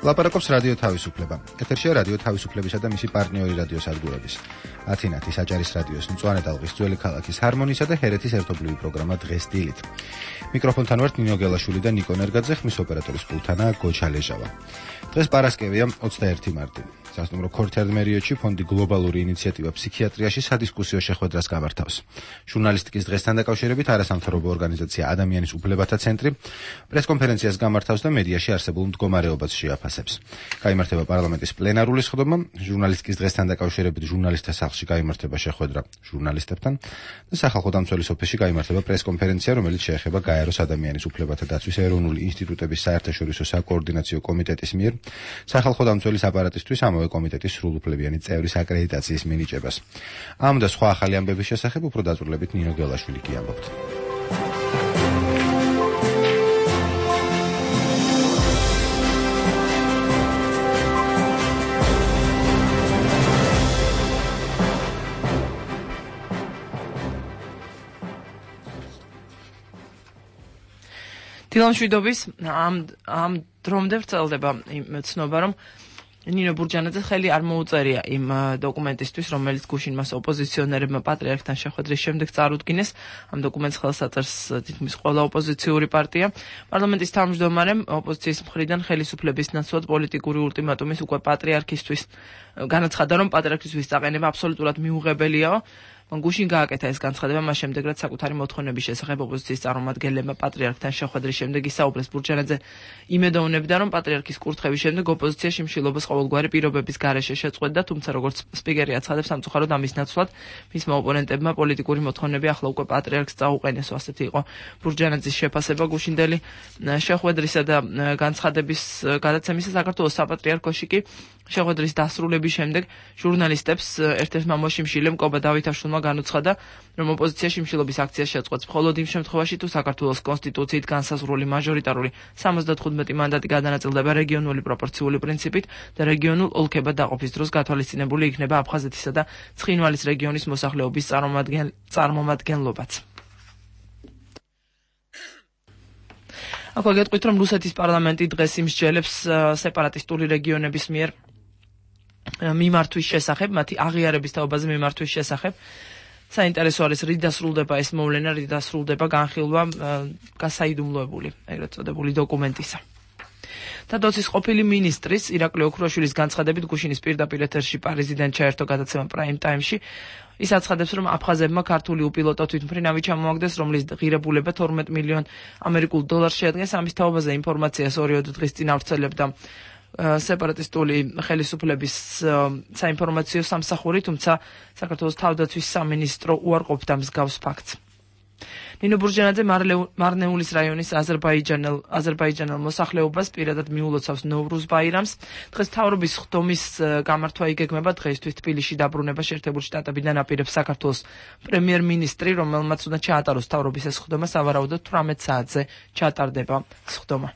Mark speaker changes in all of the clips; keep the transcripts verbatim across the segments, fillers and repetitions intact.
Speaker 1: ლაპარაკობს რადიო თავისუფლება. ეთერშია რადიო თავისუფლებისა და მისი პარტნიორი რადიო სადგურების. ათინათის აჭარის რადიოს მწვანე ტალღის ძველი ქალაქის ჰარმონისა და ჰერეთის ერთობლივი პროგრამა დღეს დილით. მიკროფონთან ვართ ნინო გელაშვილი და ნიკო ნერგაძე, ხმის ოპერატორის პულტანაა გოჩა ლეჟავა. დღეს პარასკევია ოცდაერთი მარტი. სასტუმრო ქორთერმერიოჩი ფონდი გლობალური ინიციატივა ფსიქიატრიაში სადისკუსიო შეხვედრას გამართავს. ჟურნალისტიკის დღესთან დაკავშირებით არასამთავრობო ორგანიზაცია ადამიანის უფლებათა ცენტრი პრესკონფერენციას გამართავს და მედიაში არსებულ მდგომარეობას შეაფასებს. გაიმართება პარლამენტის პლენარული სხდომა, ჟურნალისტიკის დღესთან დაკავშირებით ჟურნალისტთა სახლში გაიმართება შეხვედრა ჟურნალისტებთან და სახალხო დამცველის ოფისში გაიმართება პრესკონფერენცია, რომელიც შეეხება გაეროს ადამიანის უფლებათა დაცვის ეროვნული ინსტიტუტების საერთაშორისო საკოორდინაციო კომიტეტის მიერ სახალხო დამცველის აპარატისთვის ამავე კომიტეტის სრულუფლებიანი წევრის აკრედიტაციის მინიჭებას. ამ და სხვა ახალი ამბების შესახებ უფრო დაწვრილებით ნინო გელაშვილი კი ამბობთ.
Speaker 2: დილამშვიდობის ამ ამ დრომდე ვრცელდება იმ ცნობა, რომ ნინო ბურჯანაძე ხელი არ მოუწერია იმ დოკუმენტისთვის, რომელიც გუშინ მას ოპოზიციონერებმა პატრიარქთან შეხვედრის შემდეგ წარუდგინეს. ამ დოკუმენტს ხელს აწერს თითქმის ყველა ოპოზიციური პარტია. პარლამენტის თავმჯდომარემ ოპოზიციის მხრიდან ხელისუფლების ნაცვლად პოლიტიკური ულტიმატუმის უკვე პატრიარქისთვის განაცხადა, რომ პატრიარქისთვის წაყენება აბსოლუტურად მიუღებელია. გუშინ გააკეთა ეს განცხადება, მას შემდეგ რაც საკუთარი მოთხოვნების შესახებ ოპოზიციის წარმომადგენლებმა პატრიარქთან შეხვედრის შემდეგ ისაუბრეს. ბურჯანაძე იმედოვნებდა, რომ პატრიარქის კურთხევის შემდეგ ოპოზიცია შიმშილობას ყოველგვარი პირობების გარეშე შეწყვეტდა, თუმცა როგორც სპიკერი აცხადებს, სამწუხაროდ ამის ნაცვლად მისმა ოპონენტებმა პოლიტიკური მოთხოვნები ახლა უკვე პატრიარქს წაუყენესო. ასეთი იყო ბურჯანაძის შეფასება გუშინდელი შეხვედრისა და განცხადების გადაცემისა. საქართველოს საპატრიარქოში კი შეხვედრის დასრულების შემდეგ ჟურნალისტებს ერთ-ერთმა მოშიმშილემ კობა დავითაშვილმა განუცხადა, რომ ოპოზიცია შიმშილობის აქციას შეწყვეტს მხოლოდ იმ შემთხვევაში, თუ საქართველოს კონსტიტუციით განსაზღვრული მაჟორიტარული სამოცდათხუთმეტი მანდატი გადანაწილდება რეგიონული პროპორციული პრინციპით და რეგიონულ ოლქებად დაყოფის დროს გათვალისწინებული იქნება აფხაზეთისა და ცხინვალის რეგიონის მოსახლეობის წარმომადგენლობაც. აქვე გეტყვით, რომ რუსეთის პარლამენტი დღეს იმსჯელებს სეპარატისტული რეგიონების მიერ მიმართვის შესახებ, მათი აღიარების თაობაზე მიმართვის შესახებ. საინტერესო არის, რით დასრულდება ეს მოვლენა, რით დასრულდება განხილვა გასაიდუმლოებული, ეგრეთ წოდებული დოკუმენტისა. თადოცის ყოფილი მინისტრის ირაკლი ოქროაშვილის განცხადებით გუშინის პირდაპირ ეთერში პარიზიდან ჩაერთო გადაცემა პრაიმ ტაიმში. ის აცხადებს, რომ აფხაზებმა ქართული უპილოტო თვითმფრინავი ჩამოაგდეს, რომლის ღირებულება თორმეტ მილიონ ამერიკულ დოლარს შეადგენს. ამის თაობაზე ინფორმაციას ორი დღის წინ ავრცელებდა სეპარატისტული ხელისუფლების საინფორმაციო სამსახური, თუმცა საქართველოს თავდაცვის სამინისტრო უარყოფდა მსგავს ფაქტს. ნინო ბურჯანაძე მარნეულის რაიონის აზერბაიჯანელ აზერბაიჯანელ მოსახლეობას პირადად მიულოცავს ნოვრუზ ბაირამს. დღეს მთავრობის სხდომის გამართვა იგეგმება. დღეისთვის თბილისში დაბრუნება შეერთებული შტატებიდან აპირებს საქართველოს პრემიერ-მინისტრი, რომელმაც უნდა ჩაატაროს მთავრობის ეს სხდომა. სავარაუდოდ თვრამეტ საათზე ჩატარდება სხდომა.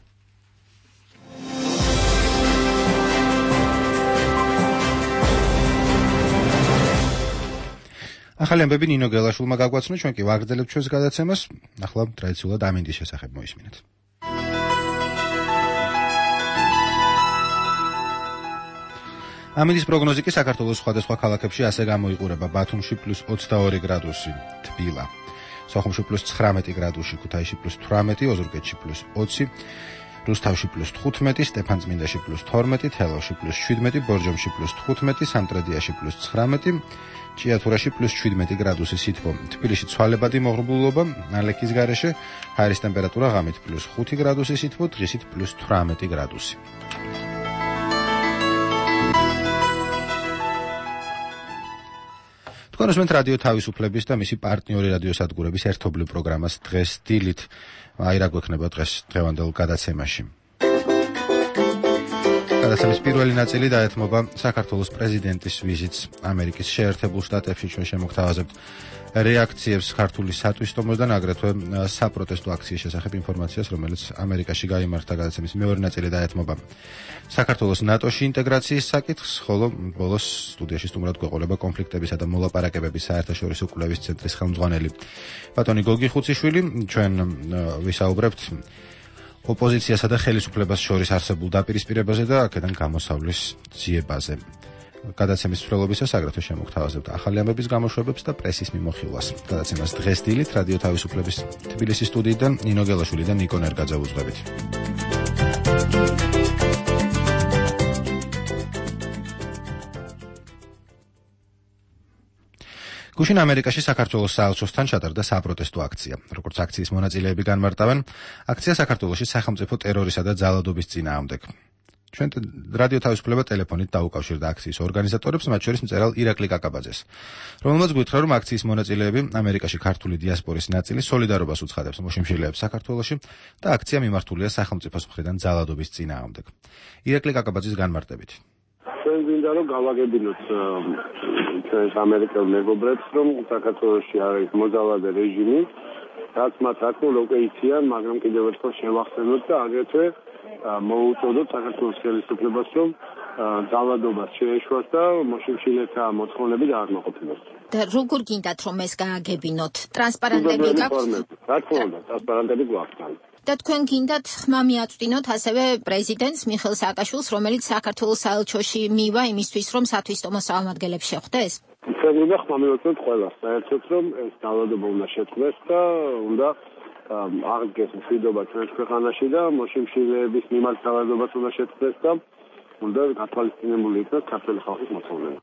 Speaker 1: ახალი ამბები ნინო გელაშვილმა გაგვაცნო, ჩვენ კი ვაგრძელებთ ჩვენს გადაცემას. ახლა ტრადიციულად ამინდის შესახებ მოისმინეთ. ამინდის პროგნოზი კი საქართველოს სხვადასხვა ქალაქებში ასე გამოიყურება. ბათუმში პლუს ოცდაორი გრადუსი, თბილა. სოხუმში პლუს ცხრამეტი გრადუსი, ქუთაისში პლუს თვრამეტი, ოზურგეთში პლუს ოცი, რუსთავში პლუს თხუთმეტი, სტეფანწმინდაში პლუს თორმეტი, თელავში პლუს შვიდმეტი, ბორჯომში პლუს თხუთმეტი, სამტრედიაში პლუს ცხრამეტი, ჭიათურაში პლუს შვიდმეტი გრადუსი სითბო. თბილისში ცვალებადი მოღრუბლულობა, ალექის გარეშე, ჰაერის ტემპერატურა ღამით პლუს ხუთი გრადუსი სითბო, დღისით პლუს თვრამეტი გრადუსი. თქვენ უსმენთ რადიო თავისუფლების და მისი პარტნიორი რადიო სადგურების ერთობლივ პროგრამას დღეს დილით. აი რა გვექნება დღეს დღევანდელ გადაცემაში. გადაცემის პირველი ნაწილი დაეთმობა საქართველოს პრეზიდენტის ვიზიტს ამერიკის შეერთებულ შტატებში. ჩვენ შემოგთავაზებთ რეაქციებს ქართული სატვისტომოსგან, აგრეთვე საპროტესტო აქციის შესახებ ინფორმაციას, რომელიც ამერიკაში გაიმართა. გადაცემის მეორე ნაწილი დაეთმობა საქართველოს ნატოში ინტეგრაციის საკითხს, ხოლო ბოლოს სტუდიაში სტუმრად გვეყოლება კონფლიქტებისა და მოლაპარაკებების საერთაშორისო კვლევის ცენტრის ხელმძღვანელი ბატონი გოგი ხუციშვილი. ჩვენ ვისაუბრებთ ოპოზიციასა და ხელისუფლებას შორის არსებულ დაპირისპირებაზე და აქედან გამოსავლის ძიებაზე. გადაცემის მსვლელობისას აგრეთვე შემოგთავაზებთ ახალი ამბების გამოშვებებს და პრესის მიმოხილვას. გადაცემას დღეს დილით რადიო თავისუფლების თბილისის სტუდიიდან ნინო გელაშვილი და ნიკო ნერგაძე უძღვებით. გუშინ ამერიკაში საქართველოს საელჩოსთან ჩატარდა საპროტესტო აქცია. როგორც აქციის მონაწილეები განმარტავენ, აქცია საქართველოში სახელმწიფო ტერორისა და ძალადობის წინააღმდეგ. ჩვენ რადიო თავისუფლება ტელეფონით დაუკავშირდა აქციის ორგანიზატორებს, მათ შორის მწერალ ირაკლი კაკაბაძეს, რომელმაც გითხრა, რომ აქციის მონაწილეები ამერიკაში ქართული დიასპორის ნაწილი სოლიდარობას უცხადებს მოშიმშილეებს საქართველოში და აქცია მიმართულია სახელმწიფოს მხრიდან ძალადობის წინააღმდეგ. ირაკლი კაკაბაძის განმარტებით.
Speaker 3: ჩვენ გვინდა რომ გავაგებინოთ ჩვენს ამერიკელ მეგობრებს, რომ საქართველოში არის მოძალადე რეჟიმი, რაც მათ აკმაყოფილებს უკვე იციან, მაგრამ კიდევ ერთხელ შევახსენოთ და აგრეთვე მოუწოდოთ საქართველოს ხელისუფლებას, რომ ძალადობას შეეშვას და მოშიმშილეთა მოთხოვნები დააკმაყოფილოს.
Speaker 4: და როგორ გინდათ რომ ეს გააგებინოთ? ტრანსპარენტები გაქვთ?
Speaker 3: რა თქმა უნდა, ტრანსპარენტები გვაქვს.
Speaker 4: და თქვენ გინდათ ხმა მიაწვდინოთ ასევე პრეზიდენტს მიხეილ სააკაშვილს, რომელიც საქართველოს საელჩოში მივა იმისთვის, რომ სათვისტომო საავადმყოფოებს შეხვდეს?
Speaker 3: ჩვენ უნდა ხმა მივაწვდეთ ყველას, საერთოდ რომ ეს ძალადობა უნდა შეწყდეს და უნდა აღდგეს მშვიდობა ჩვენს ქვეყანაში და მოშიმშილეების მიმართ ძალადობას უნდა შეწყდეს და უნდა გათვალისწინებული იქნას ქართული ხალხის მოთხოვნები.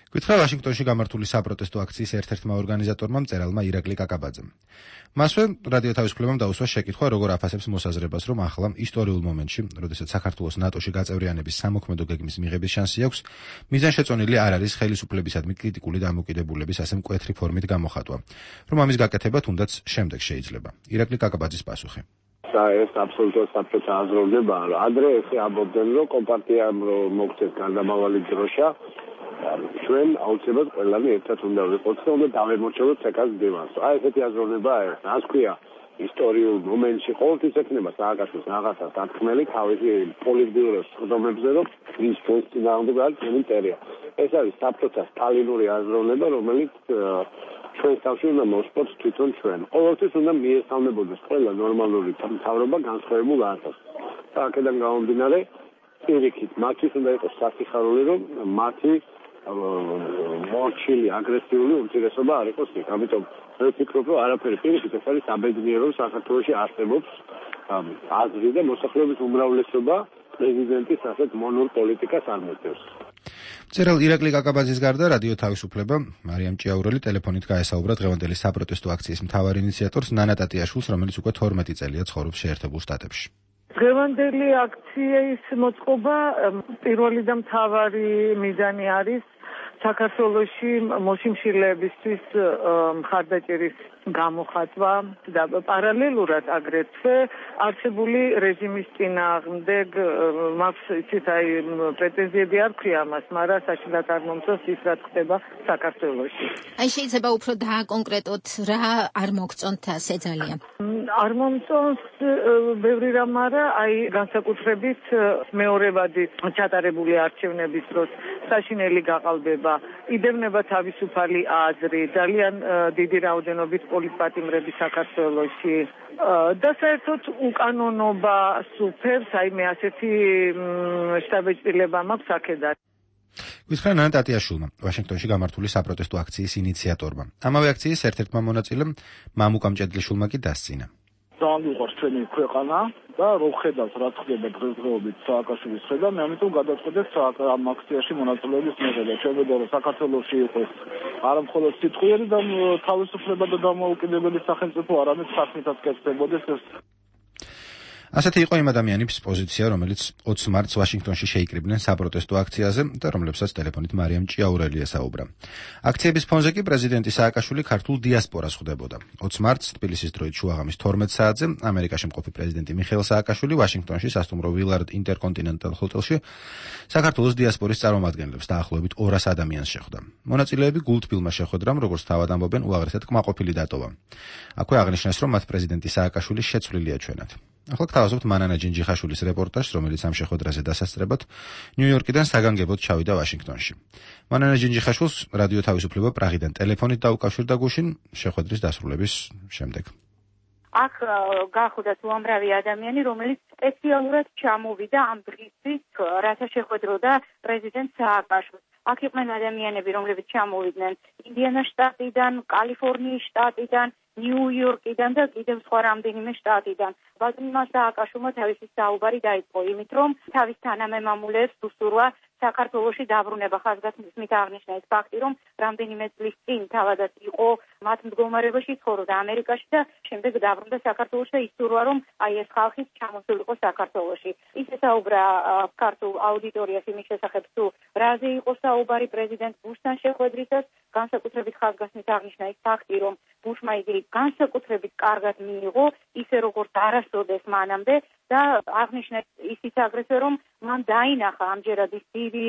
Speaker 1: გითხრა ვაშინგტონში გამართული საპროტესტო აქციის ერთ-ერთმა ორგანიზატორმა მწერალმა ირაკლი კაკაბაძემ. მასვე რადიო თავისუფლებამ დაუსვა შეკითხვა, როგორ აფასებს მოსაზრებას, რომ ახლა ისტორიულ მომენტში, როდესაც საქართველოს ნატოში გაწევრიანების სამოქმედო გეგმის მიღების შანსი აქვს, მიზანშეწონილი არ არის ხელისუფლებისადმი კრიტიკული დამოკიდებულების ასე მკვეთრი ფორმით გამოხატვა, რომ ამის გაკეთება თუნდაც შემდეგ შეიძლება. ირაკლი კაკაბაძის პასუხი.
Speaker 3: და ეს აბსოლუტურად საფრთხე აზროვნება, რომ ადრე ესე ამბობდნენ, რომ კომპარტიამ მოგწეს გარდამავალი დროშა, ჩვენ აუცილებლად ყველანი ერთად უნდა ვიყოთ და უნდა დავემორჩილოთ ცეკას დევანს. აი ესეთი აზროვნება არის. რაც ქვია, ისტორიულ მომენტში ყოველთვის ექნება სააკაშვილს რაღაცა დათქმელი თავისი პოლიტბიუროს ხდომებზე, რომ ის ჩვენს წინააღმდეგ არის ჩვენი მტერია. ეს არის საფრთხე სტალინური აზროვნება, რომელიც ჩვენს თავში უნდა მოსპოთ თვითონ ჩვენ. ყოველთვის უნდა მიესალმებოდეს ყველა ნორმალური მთავრობა განსხვავებულ აზრს. და აქედან გამომდინარე, პირიქით, მათთვის უნდა იყოს სასიხარული, რომ მათი მორჩილი აგრესიული უმცირესობა არ იყოს იქ. ამიტომ მე ვფიქრობ, რომ არაფერი პირიქით ეს არის საბედნიერო, რომ საქართველოში არსებობს აზრი და მოსახლეობის უმრავლესობა პრეზიდენტის ასეთ მონურ პოლიტიკას არ მოწევს.
Speaker 1: მწერალ ირაკლი კაკაბაძის გარდა რადიო თავისუფლება მარიამ ჭიაურელი ტელეფონით გაესაუბრა დღევანდელი საპროტესტო აქციის მთავარ ინიციატორს ნანა ტატიაშვილს, რომელიც უკვე თორმეტი წელია ცხოვრობს შეერთებულ შტატებში.
Speaker 5: დღევანდელი აქციის მოწყობა პირველი და მთავარი მიზანი არის საქართველოში მოშიმშილეებისთვის მხარდაჭერის გამოხატვა და პარალელურად აგრეთვე არსებული რეჟიმის წინააღმდეგ მაქვს იცით აი პრეტენზიები არ ქვია მას, მაგრამ საშინლად არ მომწონს ის რაც ხდება საქართველოში.
Speaker 4: აი შეიძლება უფრო დააკონკრეტოთ რა არ მოგწონთ ასე ძალიან?
Speaker 5: არ მომწონს ბევრი რამ, მაგრამ აი განსაკუთრებით მეორებადი ჩატარებული არჩევნების დროს საშინელი გაყალბება, იდევნება თავისუფალი აზრი, ძალიან დიდი რაოდენობით პოლიტპატიმრები საქართველოში და საერთოდ უკანონობა სუფევს, აი მე ასეთი შთაბეჭდილება მაქვს აქედან.
Speaker 1: გითხრა ნანა ტატიაშვილმა, ვაშინგტონში გამართული საპროტესტო აქციის ინიციატორმა. ამავე აქციის ერთ-ერთმა მონაწილემ მამუკა მჭედლიშვილმა კი დასცინა.
Speaker 6: ძალიან უყვარს ჩვენი ქვეყანა და რო ხედავს რა ხდება დღესდღეობით სააკაშვილის ხედა, მე ამიტომ გადაწყვეტეს ამ აქციაში მონაწილეობის მიღება. ჩვენებდა რომ საქართველოში იყოს არა მხოლოდ სიტყვიერი და თავისუფლება და დამოუკიდებელი სახელმწიფო, არამედ საქმითაც კეთდებოდეს ეს.
Speaker 1: ასეთი იყო იმ ადამიანების პოზიცია, რომელიც ოცი მარტს ვაშინგტონში შეიკრიბნენ საპროტესტო აქციაზე და რომლებსაც ტელეფონით მარიამ ჭიაურელი ესაუბრა. აქციების ფონზე კი პრეზიდენტი სააკაშვილი ქართულ დიასპორას ხვდებოდა. ოცი მარტს თბილისის დროით შუაღამის თორმეტ საათზე ამერიკაში მყოფი პრეზიდენტი მიხეილ სააკაშვილი ვაშინგტონში სასტუმრო ვილარდ ინტერკონტინენტალ ჰოტელში საქართველოს დიასპორის წარმომადგენლებს დაახლოებით ორას ადამიანს შეხვდა. მონაწილეები გულთბილმა შეხვედრამ, როგორც თავად ამბობენ, უაღრესად კმაყოფილი დატოვა. აქვე აღნიშნეს, რომ მათ პრეზიდენტი სააკაშვილი შეცვლილი აჩვენათ. ახლა გთავაზობთ მანანა ჯინჯიხაშვილის რეპორტაჟს, რომელიც ამ შეხვედრაზე დასასწრებად ნიუ-იორკიდან საგანგებოდ ჩავიდა ვაშინგტონში. მანანა ჯინჯიხაშვილს რადიო თავისუფლება პრაღიდან ტელეფონით დაუკავშირდა გუშინ შეხვედრის დასრულების შემდეგ.
Speaker 7: აქ გახდა უამრავი ადამიანი, რომელიც სპეციალურად ჩამოვიდა ამ დღისთვის, რათა შეხვედროდა პრეზიდენტ სააკაშვილს. აქ იყვნენ ადამიანები, რომლებიც ჩამოვიდნენ ინდიანას შტატიდან, კალიფორნიის შტატიდან, ნიუ-იორკიდან და კიდევ სხვა რამდენიმე შტატიდან. ბატონმა სააკაშვილმა თავისი საუბარი დაიწყო იმით, რომ თავის თანამემამულეებს უსურვა საქართველოში დაბრუნება. ხაზგასმის მით აღნიშნა ეს ფაქტი, რომ რამდენიმე წლის წინ თავადაც იყო მათ მდგომარეობაში, ცხოვრობდა ამერიკაში და შემდეგ დაბრუნდა საქართველოში და ისურვა, რომ აი ეს ხალხი ჩამოსულიყო საქართველოში. ის ესაუბრა ქართულ აუდიტორიას იმის შესახებ, თუ რაზე იყო საუბარი პრეზიდენტ ბუშთან შეხვედრისას, განსაკუთრებით ხაზგასმით აღნიშნა ეს ფაქტი, რომ ბუშმა იგი განსაკუთრებით კარგად მიიღო, ისე როგორც არასოდეს მანამდე და აღნიშნა ისიც აგრეთვე, რომ მან დაინახა ამჯერად ის დიდი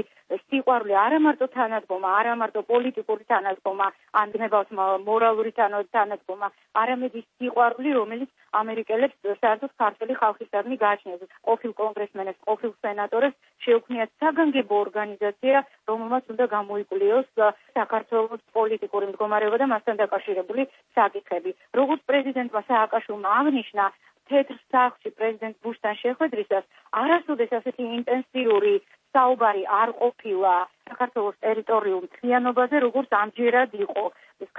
Speaker 7: სიყვარული არამარტო თანადგომა, არამარტო პოლიტიკური თანადგომა, ან გნებავთ მორალური თანადგომა, არამედ ის სიყვარული, რომელიც ამერიკელებს საერთოდ ქართული ხალხისადმი გააჩნიათ. ყოფილ კონგრესმენებს, ყოფილ სენატორებს შეუქმნიათ საგანგებო ორგანიზაცია, რომელმაც უნდა გამოიკლიოს საქართველოს პოლიტიკური მდგომარეობა და მასთან დაკავშირებული საკითხები. როგორც პრეზიდენტმა სააკაშვილმა აღნიშნა, თეთრ სახლში პრეზიდენტ ბუშთან შეხვედრისას არასოდეს ასეთი ინტენსიური საუბარი არ ყოფილა საქართველოს ტერიტორიულ მთლიანობაზე, როგორც ამჯერად იყო.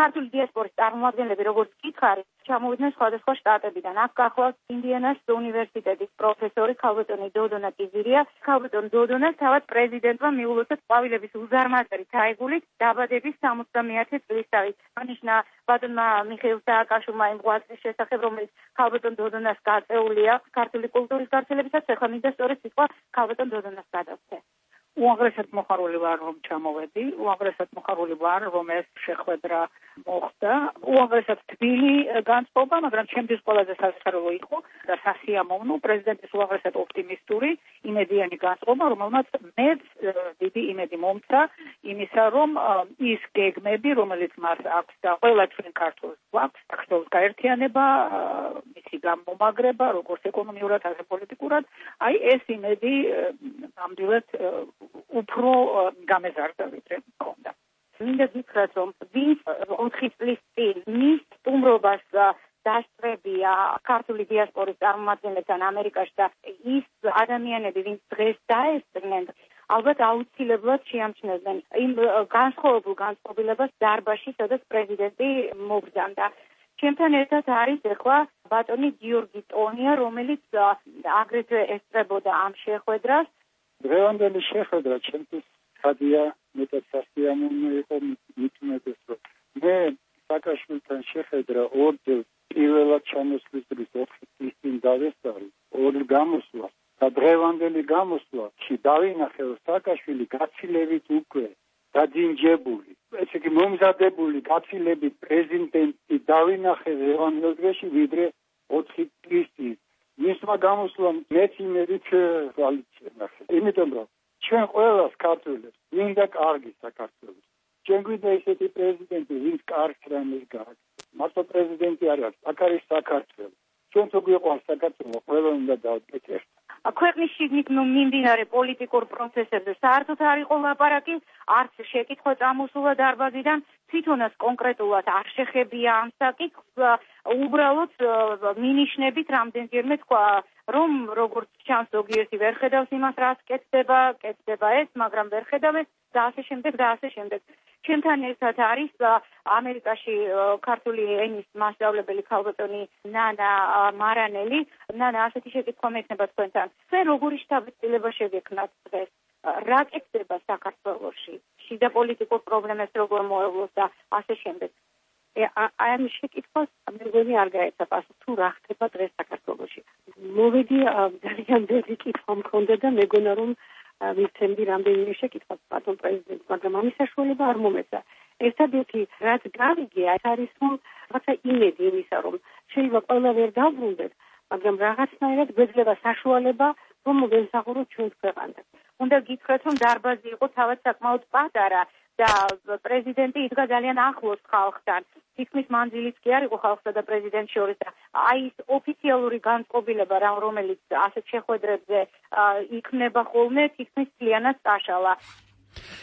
Speaker 7: ქართული დიასპორის წარმომადგენლები, როგორც გითხარი, ჩამოვიდნენ სხვადასხვა შტატებიდან. აქ გახლავთ ინდიანას უნივერსიტეტის პროფესორი ქალბატონი დოდონა კიზირია. ქალბატონ დოდონას თავად პრეზიდენტმა მიულოცა ყვავილების უზარმაზარი თაიგულით დაბადების სამოცდამეათე წლისთავით. აღნიშნა ბატონმა მიხეილ სააკაშვილმა იმ ღვაწლის შესახებ, რომელიც ქალბატონ დოდონას გაწეულია ქართული კულტურის გავრცელებისას, ახლა მინდა სწორედ სიტყვა ქალბატონ დოდონას გადავცე. უაღრესად მოხარული ვარ, რომ ჩამოვედი, უაღრესად მოხარული ვარ, რომ ეს შეხვედრა მოხდა. უაღრესად თბილი განწყობა, მაგრამ ჩემთვის ყველაზე სასწაულო იყო და სასიამოვნო პრეზიდენტის უაღრესად ოპტიმისტური, იმედიანი განწყობა, რომელმაც მეც დიდი იმედი მომცა იმისა, რომ ის გეგმები, რომელიც მას აქვს და ყველა ჩვენ ქართულს გვაქვს, საქართველოს გაერთიანება, მისი გამომაგრება, როგორც ეკონომიურად, ასევე პოლიტიკურად, აი ეს იმედი ნამდვილად უფრო გამეზარდა ვიდრე მქონდა. მინდა გითხრათ, რომ ვინც ოთხი წლის წინ მის სტუმრობას დასწრებია ქართული დიასპორის წარმომადგენლებთან ამერიკაში და ის ადამიანები, ვინც დღეს დაესწრნენ, ალბათ აუცილებლად შეამჩნევდნენ იმ განსხვავებულ განწყობილებას დარბაზში, სადაც პრეზიდენტი მობრძანდა. ჩემთან ერთად არის ახლა ბატონი გიორგი ტონია, რომელიც აგრეთვე ესწრებოდა ამ შეხვედრას.
Speaker 8: დღევანდელი შეხვედრა ჩემთვის ხადია, მეტად სასიამოვნო იყო, მით უმეტეს, რომ მე სააკაშვილთან შეხვედრა ორჯერ პირველად ჩამოსვლის დღის ოთხი წლის წინ დავესწარი, ორ გამოსვლას და დღევანდელი გამოსვლაში დავინახე, რომ სააკაშვილი გაცილებით უკვე დაჯინჯებული, ესე იგი მომზადებული გაცილებით პრეზიდენტი დავინახე დღევანდელ დღეში, ვიდრე ოთხი წლის წინ. მისმა გამოსვლამ მეც იმედით ვალიცნახე. იმიტომ რომ ჩვენ ყველას ქართველებს მინდა კარგი საქართველოს. ჩვენ გვინდა ისეთი პრეზიდენტი, ვინც კარგს რამეს გააკეთებს. მართლა პრეზიდენტი არ არის, აქ არის საქართველო. ჩვენ თუ გვიყვარს საქართველო, ყველა უნდა დავდგეთ ერთად.
Speaker 7: ქვეყნის შიგნით მიმდინარე პოლიტიკურ პროცესებზე საერთოდ არ იყო ლაპარაკი, არც შეკითხვა წამოსულა დარბაზიდან, თვითონაც კონკრეტულად არ შეხებია ამ საკითხს, უბრალოდ მინიშნებით რამდენჯერმე თქვა, რომ როგორც ჩანს ზოგიერთი ვერ ხედავს იმას, რაც კეთდება, კეთდება ეს, მაგრამ ვერ ხედავენ და ასე შემდეგ და ასე შემდეგ. ჩემთან ერთად არის ამერიკაში ქართული ენის მასწავლებელი ქალბატონი ნანა მარანელი. ნანა, ასეთი შეკითხვა მექნება თქვენთან. თქვენ როგორი შთაბეჭდილება შეგექმნათ დღეს? რა კეთდება საქართველოში? შიდა პოლიტიკურ პრობლემებს როგორ მოევლოს და ასე შემდეგ. აი ამ შეკითხვას მეგონი არ გაეცა პასუხი, თუ რა ხდება დღეს საქართველოში. მოვიდი ძალიან დიდი კითხვა მქონდა და მეგონა რომ ვიცემდი რამდენიმე შეკითხვას ბატონ პრეზიდენტს, მაგრამ ამის საშუალება არ მომეცა. ერთადერთი რაც გავიგე, ეს არის რომ რაღაცა იმედი იმისა, რომ შეიძლება ყველა ვერ დავბრუნდეთ, მაგრამ რაღაცნაირად გვეძლება საშუალება, რომ მოგემსახუროთ ჩვენს ქვეყანას. უნდა გითხრათ, რომ დარბაზი იყო თავად საკმაოდ პატარა და პრეზიდენტი იდგა ძალიან ახლოს ხალხთან. თითქმის მანძილიც კი არ იყო ხალხსა და პრეზიდენტს შორის და აი ეს ოფიციალური განწყობილება, რომელიც ასეთ შეხვედრებზე იქმნება ხოლმე, თითქმის ძალიანაც წაშალა.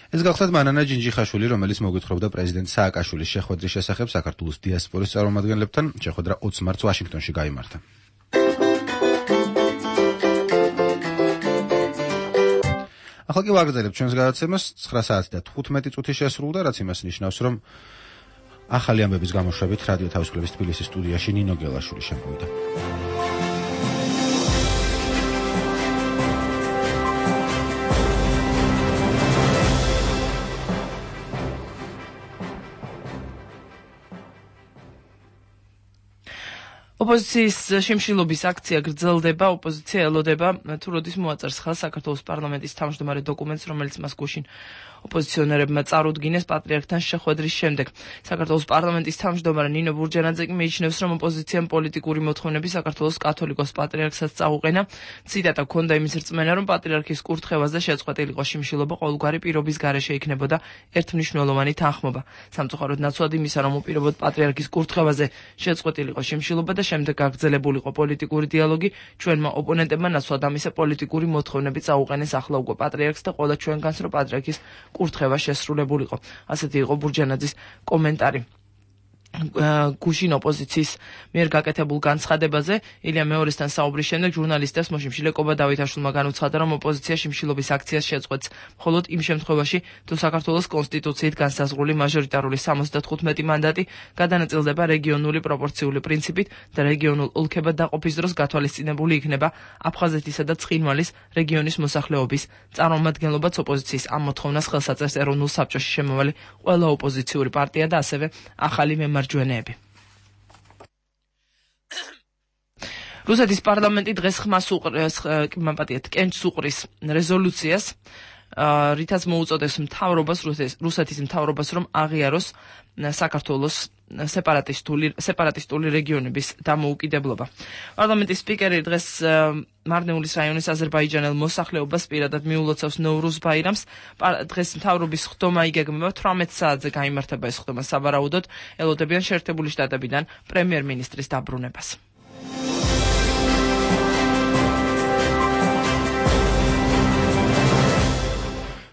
Speaker 1: ეს გახლავთ მანანა ჯინჯიხაშვილი, რომელიც მოგვითხრობდა პრეზიდენტ სააკაშვილის შეხვედრის შესახებ საქართველოს დიასპორის წარმომადგენლებთან. შეხვედრა ოცი მარტს ვაშინგტონში გაიმართა. ახლა კი ვაგრძელებთ ჩვენს გადაცემას. ცხრა საათი და თხუთმეტი წუთი შესრულდა, რაც იმას ნიშნავს, რომ ახალი ამბების გამოშვებით რადიო თავისუფლების თბილისის სტუდიაში ნინო გელაშვილი შემოვიდა.
Speaker 2: ოპოზიციის შიმშილობის აქცია გრძელდება, ოპოზიცია ელოდება თუ როდის მოაწერს ხელს საქართველოს პარლამენტის თავმჯდომარე დოკუმენტს, რომელიც მას გუშინ ოპოზიციონერებმა წარუდგინეს პატრიარქთან შეხვედრის შემდეგ. საქართველოს პარლამენტის თავმჯდომარე ნინო ბურჯანაძე კი მიიჩნევს, რომ ოპოზიციამ პოლიტიკური მოთხოვნები საქართველოს კათოლიკოს პატრიარქსაც წაუყენა. ციტატა ჰქონდა იმის რწმენა, რომ პატრიარქის კურთხევაზე შეწყვეტილიყო შიმშილობა ყოველგვარი პირობის გარეშე იქნებოდა ერთმნიშვნელოვანი თანხმობა. სამწუხაროდ ნაცვლად იმისა, რომ უპირობოდ პატრიარქის კურთხევაზე შეწყვეტილიყო შიმშილობა და შემდეგ გაგრძელებულიყო პოლიტიკური დიალოგი, ჩვენმა ოპონენტებმა ნაცვლად ამისა პოლიტიკური მოთხოვნები წაუყენეს ახლა უკვე პატრიარქს და ყველა ჩვენგანს, რომ პატრიარქის კურთხევა შესრულებულიყო. ასეთი იყო ბურჯანაძის კომენტარი. გუშინ ოპოზიციის მიერ გაკეთებულ განცხადებაზე ილია მეორესთან საუბრის შემდეგ ჟურნალისტებს მოშიმშილე ლეკობა დავითაშვილმა განუცხადა, რომ ოპოზიცია შიმშილობის აქციას შეწყვეტს მხოლოდ იმ შემთხვევაში, თუ საქართველოს კონსტიტუციით განსაზღვრული მაჟორიტარული სამოცდათხუთმეტი მანდატი გადანაწილდება რეგიონული პროპორციული პრინციპით და რეგიონულ ოლქებად დაყოფის დროს გათვალისწინებული იქნება აფხაზეთისა და ცხინვალის რეგიონის მოსახლეობის წარმომადგენლობაც. ოპოზიციის ამ მოთხოვნას ხელს აწერს ეროვნულ საბჭოში შემავალი ყველა ოპოზიციური პარტია და ასევე ახალი მემარჯვენეები. რუსეთის პარლამენტი დღეს ხმას უყრეს, მაპატიეთ, კენჭს უყრის რეზოლუციას, რითაც მოუწოდეს მთავრობას, რუსეთის მთავრობას, რომ აღიაროს საქართველოს სეპარატისტული სეპარატისტული რეგიონების დამოუკიდებლობა. პარლამენტის სპიკერი დღეს მარნეულის რაიონის აზერბაიჯანელ მოსახლეობას პირადად მიულოცავს ნოვრუზ ბაირამს. დღეს მთავრობის ხდომა იგეგმება თვრამეტ საათზე გაიმართება ეს ხდომა სავარაუდოდ. ელოდებიან შეერთებული შტატებიდან პრემიერ-მინისტრის დაბრუნებას.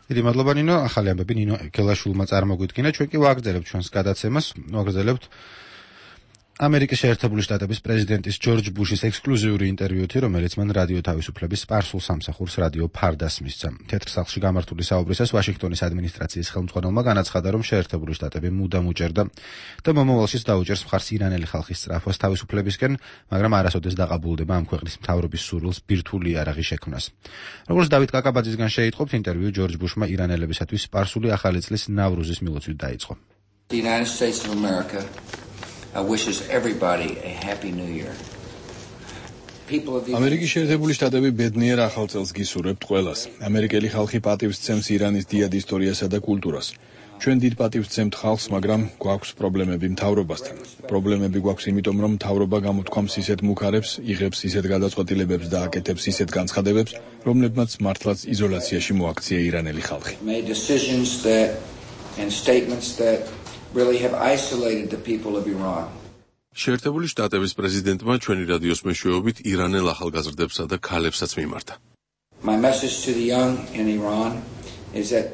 Speaker 1: დიდი მადლობა ნინო, ახალი ამბები ნინო გელაშვილმა წარმოგვიდგინა. ჩვენ კი ვაგრძელებთ ჩვენს გადაცემას, ვაგრძელებთ ამერიკის შეერთებული შტატების პრეზიდენტის ჯორჯ ბუშის ექსკლუზიური ინტერვიუთი, რომელიც მან რადიო თავისუფლების სპარსულ სამსახურს რადიო ფარდას მისცა. თეთრ სახლში გამართული საუბრისას ვაშინგტონის ადმინისტრაციის ხელმძღვანელმა განაცხადა, რომ შეერთებული შტატები მუდამ უჭერდა და მომავალშიც დაუჭერს მხარს ირანელი ხალხის სწრაფვას თავისუფლებისკენ, მაგრამ არასოდეს დაყაბულდება ამ ქვეყნის მთავრობის სურვილს ბირთვული იარაღი შექმნას. როგორც დავით კაკაბაძისგან შეიტყობთ, ინტერვიუ ჯორჯ ბუშმა ირანელებისათვის სპარსული ახალი წლის ნავრუზის მილოცვით დაიწყო.
Speaker 9: The United States of America wishes everybody a happy new year.
Speaker 10: ამერიკის შეერთებული შტატები ბედნიერ ახალ წელს გისურვებთ ყველას. ამერიკელი ხალხი პატივს სცემს ირანის დიდ ისტორიასა და კულტურას. ჩვენ დიდ პატივს სცემთ ხალხს, მაგრამ გვაქვს პრობლემები მთავრობასთან. პრობლემები გვაქვს იმიტომ, რომ მთავრობა გამოთქვამს ისეთ მუქარებს, იღებს ისეთ გადაწყვეტილებებს და აკეთებს ისეთ განცხადებებს, რომლებმაც მართლაც იზოლაციაში მოაქცია ირანელი ხალხი.
Speaker 9: really have isolated the people of Iran.
Speaker 11: შეერთებული შტატების პრეზიდენტმა ჩვენი რადიოს მეშვეობით ირანელ ახალგაზრდებსა და ქალებსაც მიმართა.
Speaker 9: My message to the young in Iran is that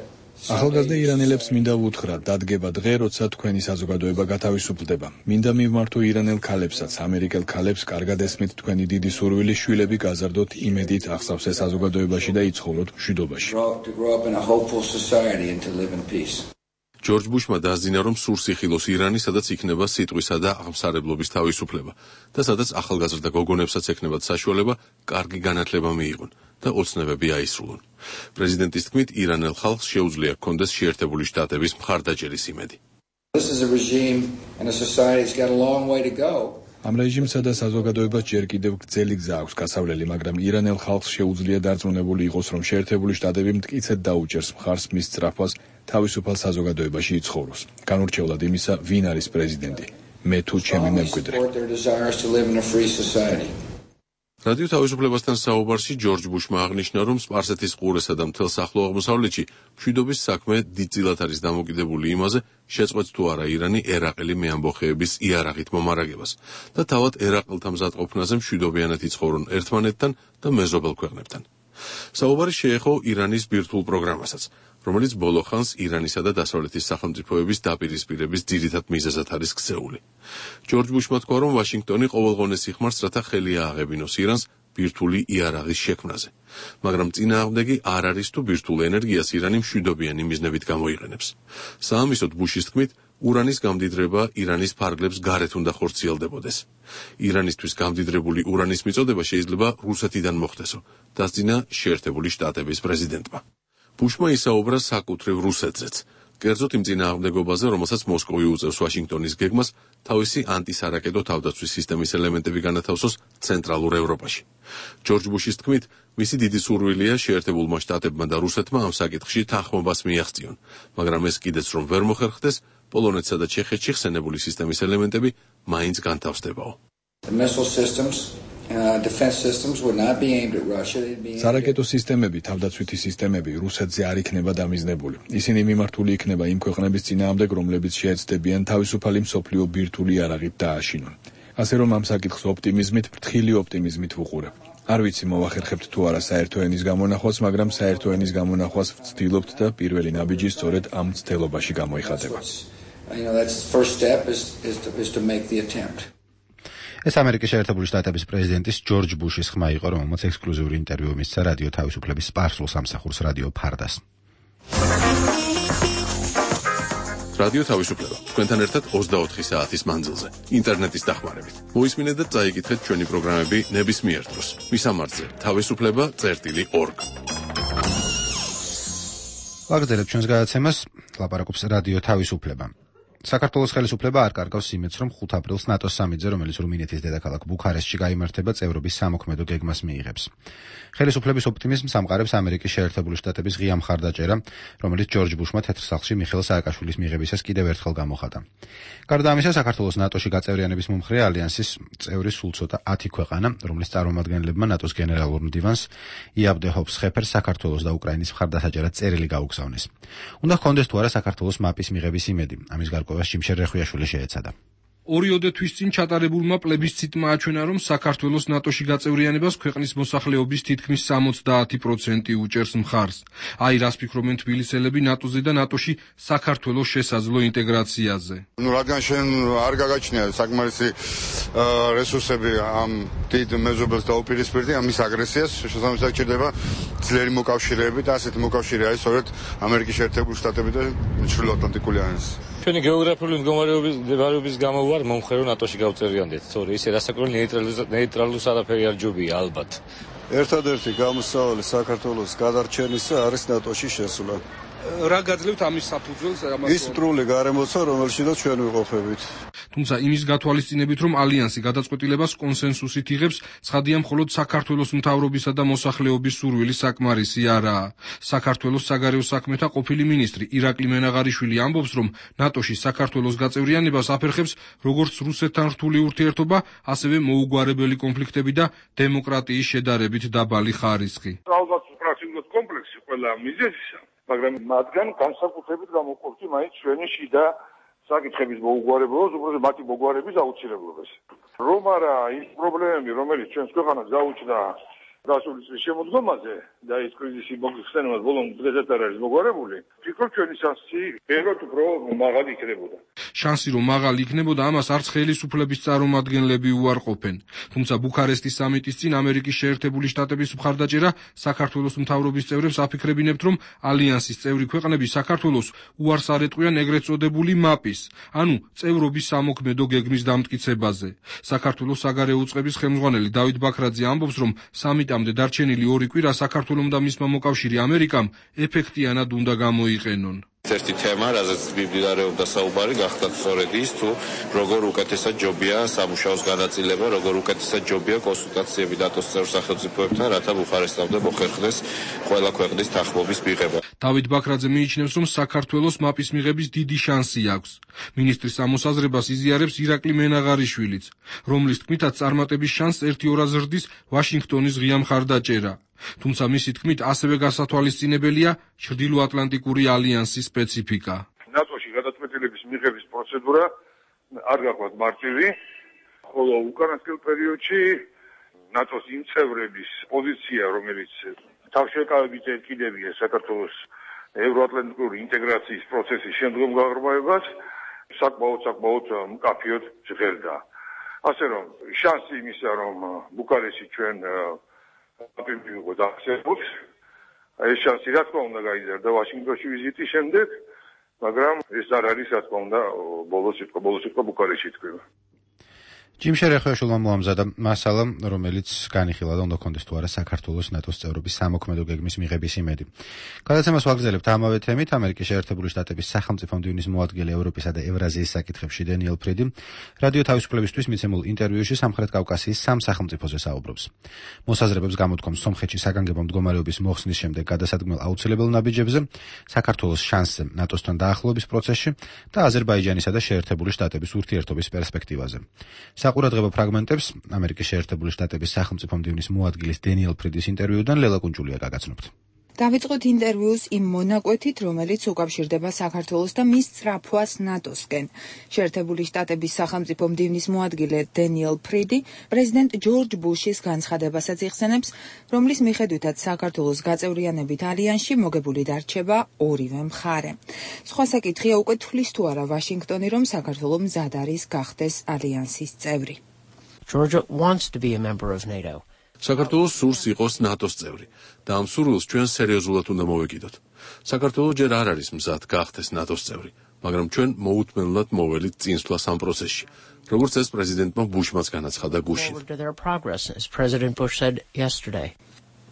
Speaker 10: ახალგაზრდა ირანელებს მინდა ვუთხრა, დადგება დღე, როცა თქვენი საზოგადოება გათავისუფლდება. მინდა მივმართო ირანელ ქალებსაც, ამერიკელ ქალებს, კარგად ესმით თქვენი დიდი სურვილი, შვილები გაზარდოთ იმედით ახსავსე საზოგადოებაში და იცხოვროთ მშვიდობაში.
Speaker 9: to grow up in a hopeful society and to live in peace.
Speaker 11: ჯორჯ ბუშმა დაასძინა, რომ სურს იხილოს ირანი, სადაც იქნება სიტყვისა და აღმსარებლობის თავისუფლება და სადაც ახალგაზრდა გოგონებსაც ექნებათ საშუალება კარგი განათლება მიიღონ და ოცნებები აისრულონ. პრეზიდენტის თქმით, ირანელ ხალხს შეუძლია ჰქონდეს შეერთებული შტატების მხარდაჭერის იმედი.
Speaker 9: This is a regime and a society that's got a long way to go.
Speaker 10: ამ რეჟიმსა და საზოგადოებას ჯერ კიდევ გრძელი გზა აქვს გასავლელი, მაგრამ ირანელ ხალხს შეუძლია დარწმუნებული იყოს, რომ შეერთებული შტატები მტკიცედ დაუჭერს მხარს მის სწრაფვას თავისუფალ საზოგადოებაში იცხოვროს. განურჩევლად იმისა, ვინ არის პრეზიდენტი, მე თუ ჩემი მემკვიდრე.
Speaker 11: რადიო თავისუფლებასთან საუბარში ჯორჯ ბუშმა აღნიშნა, რომ სპარსეთის ყურესა და მთელ ახლო აღმოსავლეთში მშვიდობის საქმე დიდწილად არის დამოკიდებული იმაზე, შეწყვეტს თუ არა ირანი ერაყელი მეამბოხეების იარაღით მომარაგებას და თავად ერაყელთა მზადყოფნაზე მშვიდობიანად იცხოვრონ ერთმანეთთან და მეზობელ ქვეყნებთან. საუბარი შეეხო ირანის ბირთვულ პროგრამასაც, რომელიც ბოლო ხანს ირანისა და დასავლეთის სახელმწიფოების დაპირისპირების ძირითად მიზეზად არის ქცეული. ჯორჯ ბუშმა თქვა, რომ ვაშინგტონი ყოველღონეს იხმარს, რათა ხელი ააღებინოს ირანს ბირთვული იარაღის შექმნაზე, მაგრამ წინააღმდეგი არ არის თუ ბირთვულ ენერგიას ირანი მშვიდობიანი მიზნებით გამოიყენებს. საამისოდ ბუშის თქმით, ურანის გამდიდრება ირანის ფარგლებს გარეთ უნდა ხორციელდებოდეს. ირანისთვის გამდიდრებული ურანის მიწოდება შეიძლება რუსეთიდან მოხდესო, დასძინა შეერთებული შტატების პრეზიდენტმა. ბუშმა ისაუბრა საკუთრივ რუსეთზეც, კერძოდ იმ წინააღმდეგობაზე, რომელსაც მოსკოვი უწევს ვაშინგტონის გეგმას თავისი ანტისარაკეტო თავდაცვის სისტემის ელემენტები განათავსოს ცენტრალურ ევროპაში. ჯორჯ ბუშის თქმით, მისი დიდი სურვილია შეერთებულმა შტატებმა და რუსეთმა ამ საკითხში თანხმობას მიაღწიონ, მაგრამ ეს კიდეც რომ ვერ მოხერხდეს, პოლონეთსა და ჩეხეთში ხსენებული სისტემის ელემენტები მაინც განთავსდებაო.
Speaker 10: სარაკეტო სისტემები, თავდაცვითი სისტემები რუსეთზე არ იქნება დამიზნებული. ისინი მიმართული იქნება იმ ქვეყნების წინააღმდეგ, რომლებიც შეეცდებიან თავისუფალი მსოფლიო ბირთვული იარაღით დააშინონ. ასე რომ ამ საკითხს ოპტიმიზმით, ფრთხილი ოპტიმიზმით ვუყურებ. არ ვიცი მოვახერხებთ თუ არა საერთო ენის გამონახვას, მაგრამ საერთო ენის გამონახვას ვცდილობთ და პირველი ნაბიჯი სწორედ ამ მცდელობაში გამოიხატება.
Speaker 1: ეს ამერიკის შეერთებული შტატების პრეზიდენტის ჯორჯ ბუშის ხმა იყო, რომელმაც ექსკლუზიური ინტერვიუ მისცა რადიო თავისუფლების სპარსულ სამსახურს რადიო ფარდას.
Speaker 11: რადიო თავისუფლება თქვენთან ერთად ოცდაოთხი საათის მანძილზე, ინტერნეტის დახმარებით. მოისმინეთ და წაიკითხეთ ჩვენი პროგრამები ნებისმიერ დროს. მისამართზე თავისუფლება წერტილი ორგ. ვაგრძელებთ ჩვენს გადაცემას, ლაპარაკობს რადიო თავისუფლება. საქართველოს ხელისუფლება არ კარგავს იმედს, რომ ხუთი აპრილს ნატოს სამიტზე, რომელიც რუმინეთის დედაქალაქ ბუქარესტში გაიმართება, წევრობის სამოქმედო გეგმას მიიღებს. ხელისუფლების ოპტიმიზმს ამყარებს ამერიკის შეერთებული შტატების ღია მხარდაჭერა, რომელიც ჯორჯ ბუშმა თეთრ სახლში მიხეილ სააკაშვილის მიღებისას კიდევ ერთხელ გამოხატა. გარდა ამისა, საქართველოს ნატოში გაწევრიანების მომხრე ალიანსის წევრი სულ ცოტა ათი ქვეყანა, რომლის წარმომადგენლებმა ნატოს გენერალურ მდივანს იაბ დე ჰოფსხეფერს საქართველოს და უკრაინის მხარდასაჭერად წერილი გაუგზავნეს. უნდა ჰქონდეს თუ არა საქართველოს მაპის მიღების იმედი, ამის გარკვევას ჭიმშე რეხვიაშვილი შეეცადა.
Speaker 12: ორიოდე თვის წინ ჩატარებულმა პლებისციტმა აჩვენა, რომ საქართველოს ნატოში გაწევრიანებას ქვეყნის მოსახლეობის თითქმის სამოცდაათი პროცენტი უჭერს მხარს. აი რას ფიქრობენ თბილისელები ნატოზე და ნატოში საქართველოს შესაძლო ინტეგრაციაზე.
Speaker 13: ნუ რადგან შენ არ გაგაჩნია საკმარისი რესურსები ამ დიდ მეზობელს დაუპირისპირდი ამის აგრესიას, შესაბამისად ჭირდება ძლიერი მოკავშირეები და ასეთი მოკავშირე არის სწორედ ამერიკის შეერთებული შტატები და ჩრდილოატლანტიკური ალიანსი.
Speaker 14: ჩვენი გეოგრაფიული მდგომარეობის გამო ვარ მომხრე რომ ნატოში გავწერიანდეთ, თორე ისე რასაკვირველი ნეიტრალურს არაფერი არ ჯობია ალბათ.
Speaker 15: ერთადერთი გამოსავალი საქართველოს გადარჩენისა არის ნატოში შესვლა.
Speaker 12: რა გაძლევთ ამის საფუძველს?
Speaker 15: ის სტრული გარემოცა, რომელშიც ჩვენ ვიყოფებით.
Speaker 12: თუმცა იმის გათვალისწინებით, რომ ალიანსი გადაწყვეტილებას კონსენსუსით იღებს, ცხადია მხოლოდ საქართველოს მთავრობისა და მოსახლეობის სურვილი საკმარისი არაა. საქართველოს საგარეო საქმეთა ყოფილი მინისტრი ირაკლი მენაღარიშვილი ამბობს, რომ ნატოში საქართველოს გაწევრიანებას აფერხებს როგორც რუსეთთან რთული ურთიერთობა, ასევე მოუგვარებელი კონფლიქტები და დემოკრატიის შედარებით დაბალი ხარისხი.
Speaker 16: ალბათ პრაქტიკულად კომპლექსი ყველა მიზეზისა, მაგრამ მათგან განსაკუთრებით გამოყოფდი მაინც ჩვენი შიდა საკითხების მოუგვარებლობას, უბრალოდ მათი მოგვარების აუცილებლობას. რომ არა ის პრობლემები, რომელიც ჩვენს ქვეყანას გაუჩნდა გასული წლის შემოდგომაზე და ის კრიზისი მოგვიხსენებას ბოლომდ დღესაც არ არის მოგვარებული, ფიქრობ ჩვენი შანსი ბევრად უფრო მაღალი იქნებოდა.
Speaker 12: შანსი რომ მაღალი იქნებოდა, ამას არც ხელისუფლების წარმომადგენლები უარყოფენ. თუმცა ბუქარესტის სამიტის წინ ამერიკის შეერთებული შტატების მხარდაჭერა საქართველოს მთავრობის წევრებს აფიქრებინებთ, რომ ალიანსის წევრი ქვეყნები საქართველოს უარს არ ეტყვიან ეგრეთ წოდებული მაპის, ანუ წევრობის სამოქმედო გეგმის დამტკიცებაზე. საქართველოს საგარეო უწყების ხელმძღვანელი დავით ბაქრაძე ამბობს, რომ სამიტამდე დარჩენილი ორი კვირა საქართველომ და მისმა მოკავშირე ამერიკამ ეფექტიანად უნდა გამოიყენონ.
Speaker 17: ერთი თემა, რაზეც მიმდინარეობდა საუბარი, გახდათ სწორედ ის, თუ როგორ უკეთესად ჯობია სამუშაოს განაწილება, როგორ უკეთესად ჯობია კონსულტაციები ნატოს წევრ სახელმწიფოებთან, რათა ბუხარესტამდე მოხერხდეს ყველა ქვეყნის თანხმობის მიღება.
Speaker 12: დავით ბაქრაძე მიიჩნევს, რომ საქართველოს მაპის მიღების დიდი შანსი აქვს. მინისტრის ამოსაზრებას იზიარებს ირაკლი მენაღარიშვილიც, რომლის თქმითაც წარმატების შანსს ერთი ორად ზრდის ვაშინგტონის ღია მხარდაჭერა. თუმცა მისი თქმით ასევე გასათვალისწინებელია ჩრდილოატლანტიკური ალიანსის სპეციფიკა.
Speaker 16: ნატოში გადაწყვეტილების მიღების პროცედურა არ გაქვთ მარტივი, ხოლო უკანასკნელ პერიოდში ნატოს იმ წევრების პოზიცია, რომელიც თავშეკავების ერთკიდებია საქართველოს ევროატლანტიკური ინტეგრაციის პროცესის შემდგომ გაღრმავებას საკმაოდ საკმაოდ მკაფიოდ ჟღერდა. ასე რომ შანსი იმისა, რომ ბუქარესტი ჩვენ აპიმბიუგო დაახსენოთ, ეს შანსი რა თქმა უნდა გაიზარდა ვაშინგტონში ვიზიტის შემდეგ, მაგრამ ეს არ არის რა თქმა უნდა ბოლოს სიტყვა ბოლოს სიტყვა ბუქარესტში თქვება.
Speaker 1: ჯიმ შერეხოაშვილმა მოამზადა მასალა, რომელიც განიხილა და უნდა კონდეს თუ არა საქართველოს ნატოს წევრობის სამოქმედო გეგმის მიღების იმედი. გადაცემას ვაგრძელებთ ამავე თემით. ამერიკის შეერთებული შტატების სახელმწიფო მდივნის მოადგილე ევროპისა და ევრაზიის საკითხებში დენიელ ფრიდი რადიო თავისუფლებისთვის მიცემულ ინტერვიუში სამხრეთ კავკასიის სამ სახელმწიფოზე საუბრობს. მოსაზრებებს გამოთქვამს სომხეთში საგანგებო მდგომარეობის მოხსნის შემდეგ გადასადგმელ აუცილებელ ნაბიჯებზე, საქართველოს შანსზე ნატოსთან დაახლოების პროცესში და აზერბაიჯანისა და შეერთებული შტატების ურთიერთობის პერსპექტივაზე. საყურადღებო ფრაგმენტებს ამერიკის შეერთებული შტატების სახელმწიფო მდივნის მოადგილის დენიელ ფრიდის ინტერვიუდან ლელა კუნჭულია გაგაცნობთ.
Speaker 18: დავიწყოთ ინტერვიუს იმ მონაკვეთით, რომელიც უკავშირდება საქართველოს და მის სწრაფვას ნატოსკენ. შეერთებული შტატების სახელმწიფო მდივნის მოადგილე დენიელ ფრიდი პრეზიდენტ ჯორჯ ბუშის განცხადებასაც იხსენებს, რომლის მიხედვითაც საქართველოს გაწევრიანებით ალიანსში მოგებული დარჩება ორივე მხარე. სხვა საკითხია უკვე თვლის თუ არა ვაშინგტონი, რომ საქართველო მზად არის გახდეს ალიანსის წევრი.
Speaker 19: Georgia wants to be a member of NATO.
Speaker 11: საქართველოს სურს იყოს ნატოს წევრი და ამ სურვილს ჩვენ სერიოზულად უნდა მოვეკიდოთ. საქართველო ჯერ არ არის მზად გახდეს ნატოს წევრი, მაგრამ ჩვენ მოუთმენლად მოველით წინსვლას ამ პროცესში, როგორც ეს პრეზიდენტმა ბუშმაც განაცხადა გუშინ.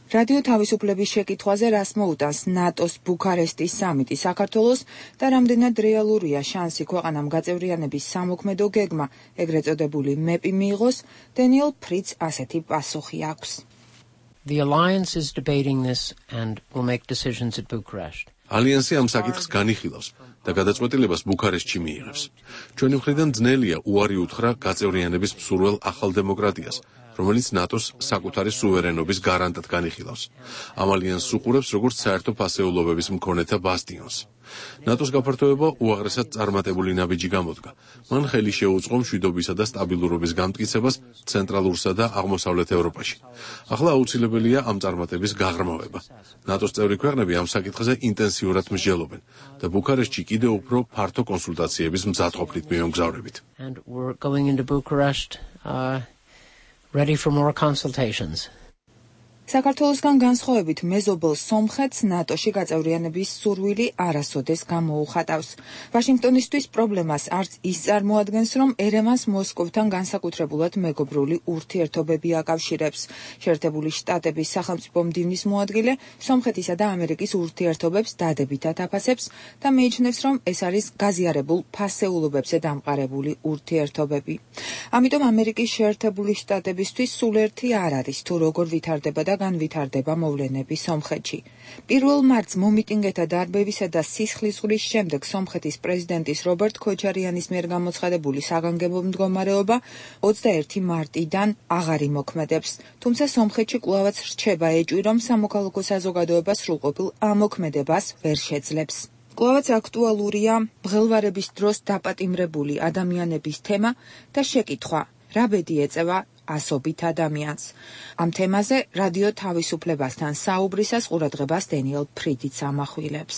Speaker 18: რადიო თავისუფლების შეკითხვაზე რას მოუტანს ნატოს ბუქარესტის სამიტი საქართველოს და რამდენად რეალურია შანსი ქვეყანამ გაწევრიანების სამოქმედო გეგმა, ეგრეთ წოდებული მეპი მიიღოს, დენიელ ფრიდს ასეთი პასუხი აქვს.
Speaker 19: The alliance is debating this and will make decisions at Bucharest.
Speaker 11: ალიანსი ამ საკითხს განიხილავს და გადაწყვეტილებას ბუქარესტში მიიღებს. ჩვენი მხრიდან ძნელია უარი უთხრა გაწევრიანების მსურველ ახალ დემოკრატიას, რომელიც ნატოს საკუთარი სუვერენობის გარანტად განიხილავს. ამ ალიანსს უყურებს როგორც საერთო ფასეულობების მქონეთა ბასტიონს. ნატოს გაფართოება უაღრესად წარმატებული ნაბიჯი გამოდგა. მან ხელი შეუწყო მშვიდობისა და სტაბილურობის გამტკიცებას ცენტრალურსა და აღმოსავლეთ ევროპაში. ახლა აუცილებელია ამ წარმატების გაღრმავება. ნატოს წევრი ქვეყნები ამ საკითხზე ინტენსიურად მსჯელობენ და ბუქარესტში კიდევ უფრო ფართო კონსულტაციების მზადყოფნით მივემგზავრებით.
Speaker 19: And we're going into Bucharest uh, ready for more consultations.
Speaker 18: საქართველოსგან განსხვავებით მეზობელ სომხეთს ნატოში გაწევრიანების სურვილი არასოდეს გამოუხატავს. ვაშინგტონისთვის პრობლემას არც ის წარმოადგენს, რომ ერევანს მოსკოვთან განსაკუთრებულად მეგობრული ურთიერთობები აკავშირებს. შეერთებული შტატების სახელმწიფო მდივნის მოადგილე სომხეთისა და ამერიკის ურთიერთობებს დადებითად აფასებს და მიიჩნევს, რომ ეს არის გაზიარებულ ფასეულობებზე დამყარებული ურთიერთობები. ამიტომ ამერიკის შეერთებული შტატებისთვის სულ ერთი არ არის, თუ როგორ ვითარდება და განვითარდება მოვლენები სომხეთში. პირველ მარტს მომიტინგეთა დარბევისა და სისხლისღვრიის შემდეგ სომხეთის პრეზიდენტის რობერტ ქოჩარიანის მიერ გამოცხადებული საგანგებო მდგომარეობა ოცდაერთი მარტიდან აღარ იმოქმედებს. თუმცა სომხეთში კვლავაც რჩება ეჭვი, რომ სამოქალაქო საზოგადოება სრულყოფილ ამოქმედებას ვერ შეძლებს. კვლავაც აქტუალურია მღელვარების დროს დაპატიმრებული ადამიანების თემა და შეკითხვა, რა ბედი ეწევა ასობით ადამიანს. ამ თემაზე რადიო თავისუფლებასთან საუბრისას ყურადღებას დენიელ ფრიდიც ამახვილებს.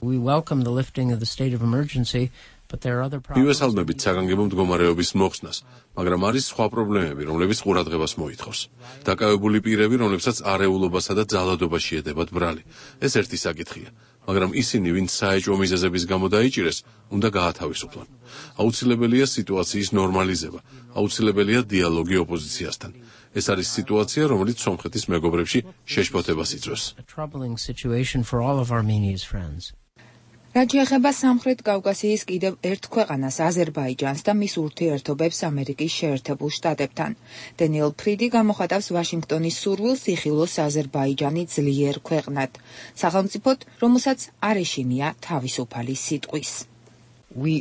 Speaker 19: We welcome the lifting of the state of emergency, but there are other problems.
Speaker 11: მივესალმებით საგანგებო მდგომარეობის მოხსნას, მაგრამ არის სხვა პრობლემები, რომლებიც ყურადღებას მოითხოვს. დაკავებული პირები, რომლებსაც არეულობასა და ძალადობაში ედებათ ბრალი. ეს ერთი საკითხია. მაგრამ ისინი, ვინც საეჭვო მიზეზების გამო დაიჭირეს, უნდა გაათავისუფლონ. აუცილებელია სიტუაციის ნორმალიზება, აუცილებელია დიალოგი ოპოზიციასთან. ეს არის სიტუაცია, რომელიც სომხეთის მეგობრებში შეშფოთებას იწვევს.
Speaker 18: რაც შეეხება სამხრეთ კავკასიის კიდევ ერთ ქვეყანას, აზერბაიჯანს და მის ურთიერთობებს ამერიკის შეერთებულ შტატებთან. დენიელ ფრიდი გამოხატავს ვაშინგტონის სურვილს იხილოს აზერბაიჯანი ძლიერ ქვეყნად, სახელმწიფოდ, რომელსაც არ ეშინია თავისუფალი სიტყვის.
Speaker 19: We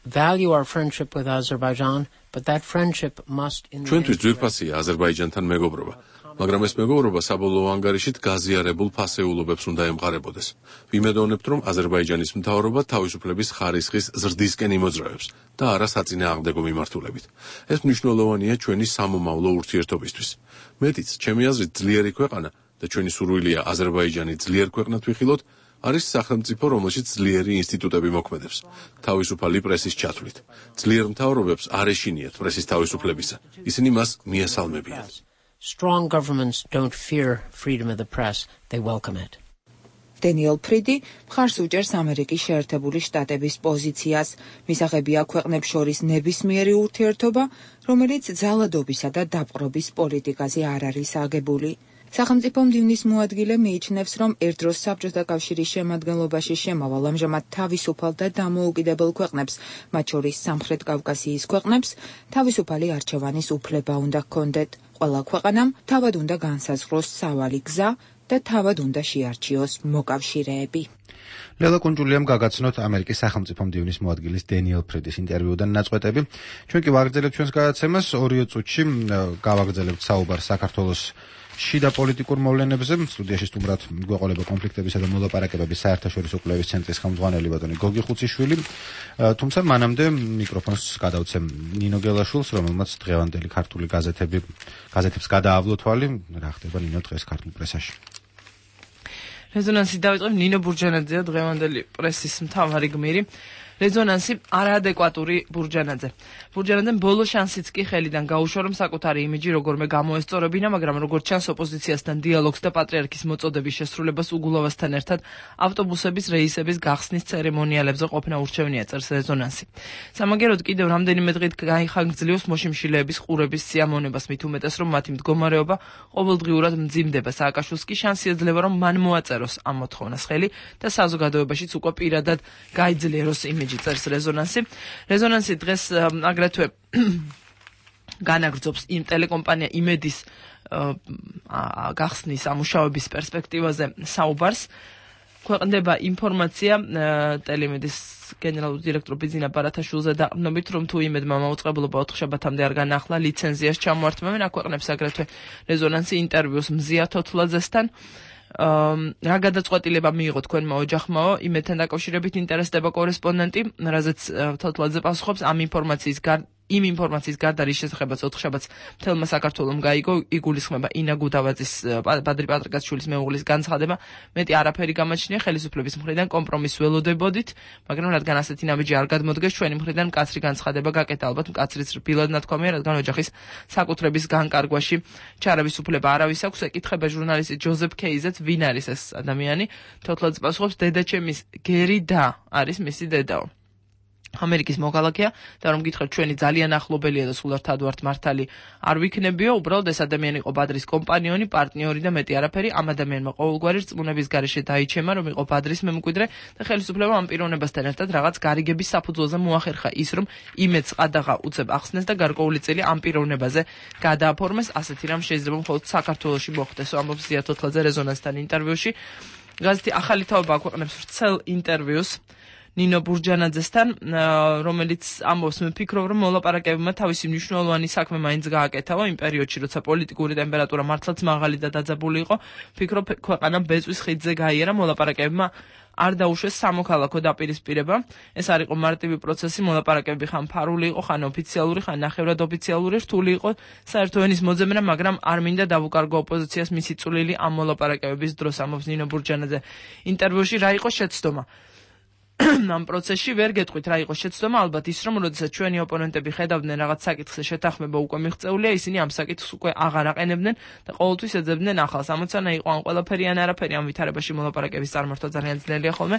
Speaker 19: value our friendship with Azerbaijan, but that friendship must in
Speaker 11: ჩვენთვის ძვირფასია აზერბაიჯანთან მეგობრობა, მაგრამ ეს მეგობრობა საბოლოო ანგარიშით გაზიარებულ ფასეულობებს უნდა ემყარებოდეს. ვიმედოვნებთ, რომ აზერბაიჯანის მთავრობა თავისუფლების ხარისხის ზრდისკენ იმოძრავებს და არა საწინააღმდეგო მიმართულებით. ეს მნიშვნელოვანია ჩვენი სამომავლო ურთიერთობისთვის. მეტიც, ჩემი აზრით, ძლიერი ქვეყანა და და ჩვენი სურვილია აზერბაიჯანი ძლიერ ქვეყნად ვიხილოთ, არის სახელმწიფო, რომელშიც ძლიერი ინსტიტუტები მოქმედებს, თავისუფალი პრესის ჩათვლით. ძლიერ მთავრობებს არ ეშინიათ პრესის თავისუფლებისა. ისინი მას მიასალმებიან.
Speaker 19: Strong governments don't fear freedom of the press, they welcome it.
Speaker 18: დენიელ ფრიდი მხარს უჭერს ამერიკის შეერთებული შტატების პოზიციას. მისაღებია ქვეყნებს შორის ნებისმიერი ურთიერთობა, რომელიც ძალადობისა და დაპყრობის პოლიტიკაზე არ არის აგებული. სახელმწიფო მდივნის მოადგილე მიიჩნევს, რომ ერთდროს საბჭოთა კავშირის შემადგენლობაში შემავალ ამჟამად თავისუფალ და დამოუკიდებელ ქვეყნებს, მათ შორის სამხრეთ კავკასიის ქვეყნებს, თავისუფალი არჩევანის უფლება უნდა ჰქონდეთ. ყველა ქვეყანამ თავად უნდა განსაზღვროს სავალი გზა და თავად უნდა შეარჩიოს მოკავშირეები.
Speaker 1: ლელა კუნჯულიამ გაგაცნოთ ამერიკის სახელმწიფო მდივნის მოადგილის დენიელ ფრიდის ინტერვიუდან ნაწყვეტები. ჩვენ კი ვაგრძელებთ ჩვენს გადაცემას, ორი წუთში გავაგრძელებთ საუბარს საქართველოს შიდა პოლიტიკურ მოვლენებზე. სტუდიაში სტუმრად გვეყოლება კონფლიქტებისა და მოლაპარაკებების საერთაშორისო კვლევის ცენტრის ხელმძღვანელი ბატონი გოგი ხუციშვილი. თუმცა მანამდე მიკროფონს გადავცემ ნინო გელაშვილს, რომელმაც დღევანდელი ქართული გაზეთები გაზეთებს გადაავლო თვალი. რა ხდება ნინო დღეს ქართულ პრესაში?
Speaker 2: რეზონანსი დავიწყებ. ნინო ბურჯანაძეა დღევანდელი პრესის მთავარი გმირი. რეზონანსი არაადეკვატური ბურჯანაძე. ბურჯანაძემ ბოლო შანსიც კი ხელიდან გაუშვა, რომ საკუთარი იმიჯი როგორმე გამოესწორებინა, მაგრამ როგორც ჩანს ოპოზიციასთან დიალოგს და პატრიარქის მოწოდების შესრულებას უგულავასთან ერთად ავტობუსების რეისების გახსნის ცერემონიალებზე ყოფნა ურჩევნია, წერს რეზონანსი. სამაგეროდ კიდევ რამდენიმე დღით გაიხანგრძლივს მოშიმშილეების ყურების სიამოვნებას, მით უმეტეს, რომ მათი მდგომარეობა ყოველდღიურად მძიმდება. სააკაშვილს კი შანსი ეძლევა, რომ მან მოაწეროს ამ მოთხოვნას ხელი და საზოგადოებაშიც უკვე პირადად გაიძლიეროს იმიჯი. წერს რეზონანსი. რეზონანსი დღეს აგრეთვე განაგრძობს იმ ტელეკომპანია იმედის გახსნის ამუშავების პერსპექტივაზე საუბარს. ქვეყნდება ინფორმაცია ტელემედის გენერალური დირექტორ ბიძინა ბარათაშვილზე დაყრდნობით, რომ თუ იმედმა მაუწყებლობა ოთხშაბათამდე არ განახლა, ლიცენზიას ჩამოართმევენ. აქვეყნებს აგრეთვე რეზონანსი ინტერვიუს მზია თოთლაძესთან. რა გადაწყვეტილება მიიღო თქვენმა ოჯახმაო, იმედთან დაკავშირებით ინტერესდება კორესპონდენტი, რაზეც თოთლაძე პასუხობს, ამ ინფორმაციის იმ ინფორმაციის გარდა რის შესახებაც ოთხშაბათს მთელმა საქართველომ გაიგო, იგულისხმება ინა გუდავაძის ბადრი პატრიკაშვილის მეუღლის განცხადება. მეტი არაფერი გამაჩნია, ხელისუფლების მხრიდან კომპრომისს ველოდებოდით, მაგრამ რადგან ასეთი ნაბიჯი არ გადმოდგეს, ჩვენი მხრიდან მკაცრი განცხადება გაკეთა, ალბათ მკაცრიც რბილად ნათქვამია, რადგან ოჯახის საკუთრების განკარგვაში ჩარევის უფლება არავის აქვს. ეკითხება ჟურნალისტი ჯოზეფ კეიზეც, ვინ არის ეს ადამიანი. თოთლაძე პასუხობს, დედაჩემის გერი და არის მისი დედაო. ამერიკის მოქალაქეა და რომ გითხრათ ჩვენი ძალიან ახლობელია და სულ ერთად ვართ მართალი არ ვიქნებიო, უბრალოდ ეს ადამიანი იყო ბადრის კომპანიონი, პარტნიორი და მეტი არაფერი. ამ ადამიანმა ყოველგვარი რწმუნების გარეშე დაიჩემა, რომ იყო ბადრის მემკვიდრე და ხელისუფლება ამ პიროვნებასთან ერთად რაღაც გარიგების საფუძველზე მოახერხა ის, რომ იმედს ყადაღა უწევ ახსნეს და გარკვეული წელი ამ პიროვნებაზე გადააფორმეს. ასეთი რამ შეიძლება მხოლოდ საქართველოში მოხდეს, ამბობს ზია თოთლაძე რეზონანსთან ინტერვიუში. გაზეთი ახალი თაობა აქვეყნებს ვრცელ ინტერვიუს ნინო ბურჯანაძესთან, რომელიც ამბობს, მე ვფიქრობ, რომ მოლაპარაკებებმა თავისი მნიშვნელოვანი საქმე მაინც გააკეთაო იმ პერიოდში, როცა პოლიტიკური ტემპერატურა მართლაც მაღალი და დაძაბული იყო. ვფიქრობ, ქვეყანა ბეწვის ხიდზე გაიარა, მოლაპარაკებებმა არ დაუშვეს სამოქალაქო დაპირისპირება. ეს არ იყო მარტივი პროცესი, მოლაპარაკებები ხან ფარული იყო, ხან ოფიციალური, ხან ნახევრად ოფიციალური, რთული იყო საერთო ენის მოძებნა, მაგრამ არ მინდა დავუკარგო ოპოზიციას მისი წვლილი ამ მოლაპარაკებების დროს, ამბობს ნინო ბურჯანაძე ინტერვიუში. რა იყო შეცდომა ამ პროცესში? ვერ გეტყვით რა იყო შეცდომა, ალბათ ის, რომ როდესაც ჩვენი ოპონენტები ხედავდნენ რაღაც საკითხზე შეთანხმება უკვე მიღწეულია, ისინი ამ საკითხს უკვე აღარ აყენებდნენ და ყოველთვის ეძებდნენ ახალს. ამოცანა იყო ან ყველაფერი ან არაფერი, ამ ვითარებაში მოლაპარაკების წარმართვა ძალიან ძნელია ხოლმე.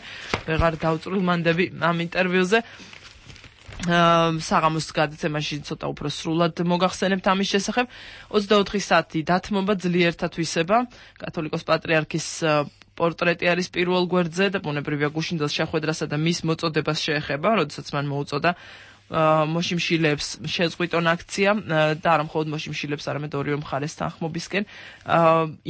Speaker 2: ვეღარ დავწვრილმანდები ამ ინტერვიუზე. საღამოს გადაცემაში ცოტა უფრო სრულად მოგახსენებთ ამის შესახებ. ოცდაოთხი საათი დათმობა, ძლიერთა თვისება, კათოლიკოს პატრიარქის პორტრეტი არის პირველ გვერდზე და ბუნებრივია გუშინდელს შეხვედრასა და მის მოწოდებას შეეხება, როდესაც მან მოუწოდა მოშიმშილეებს შეზღვიტონ აქცია და არა მხოლოდ მოშიმშილეებს, არამედ ორივე მხარეს თანხმობისკენ.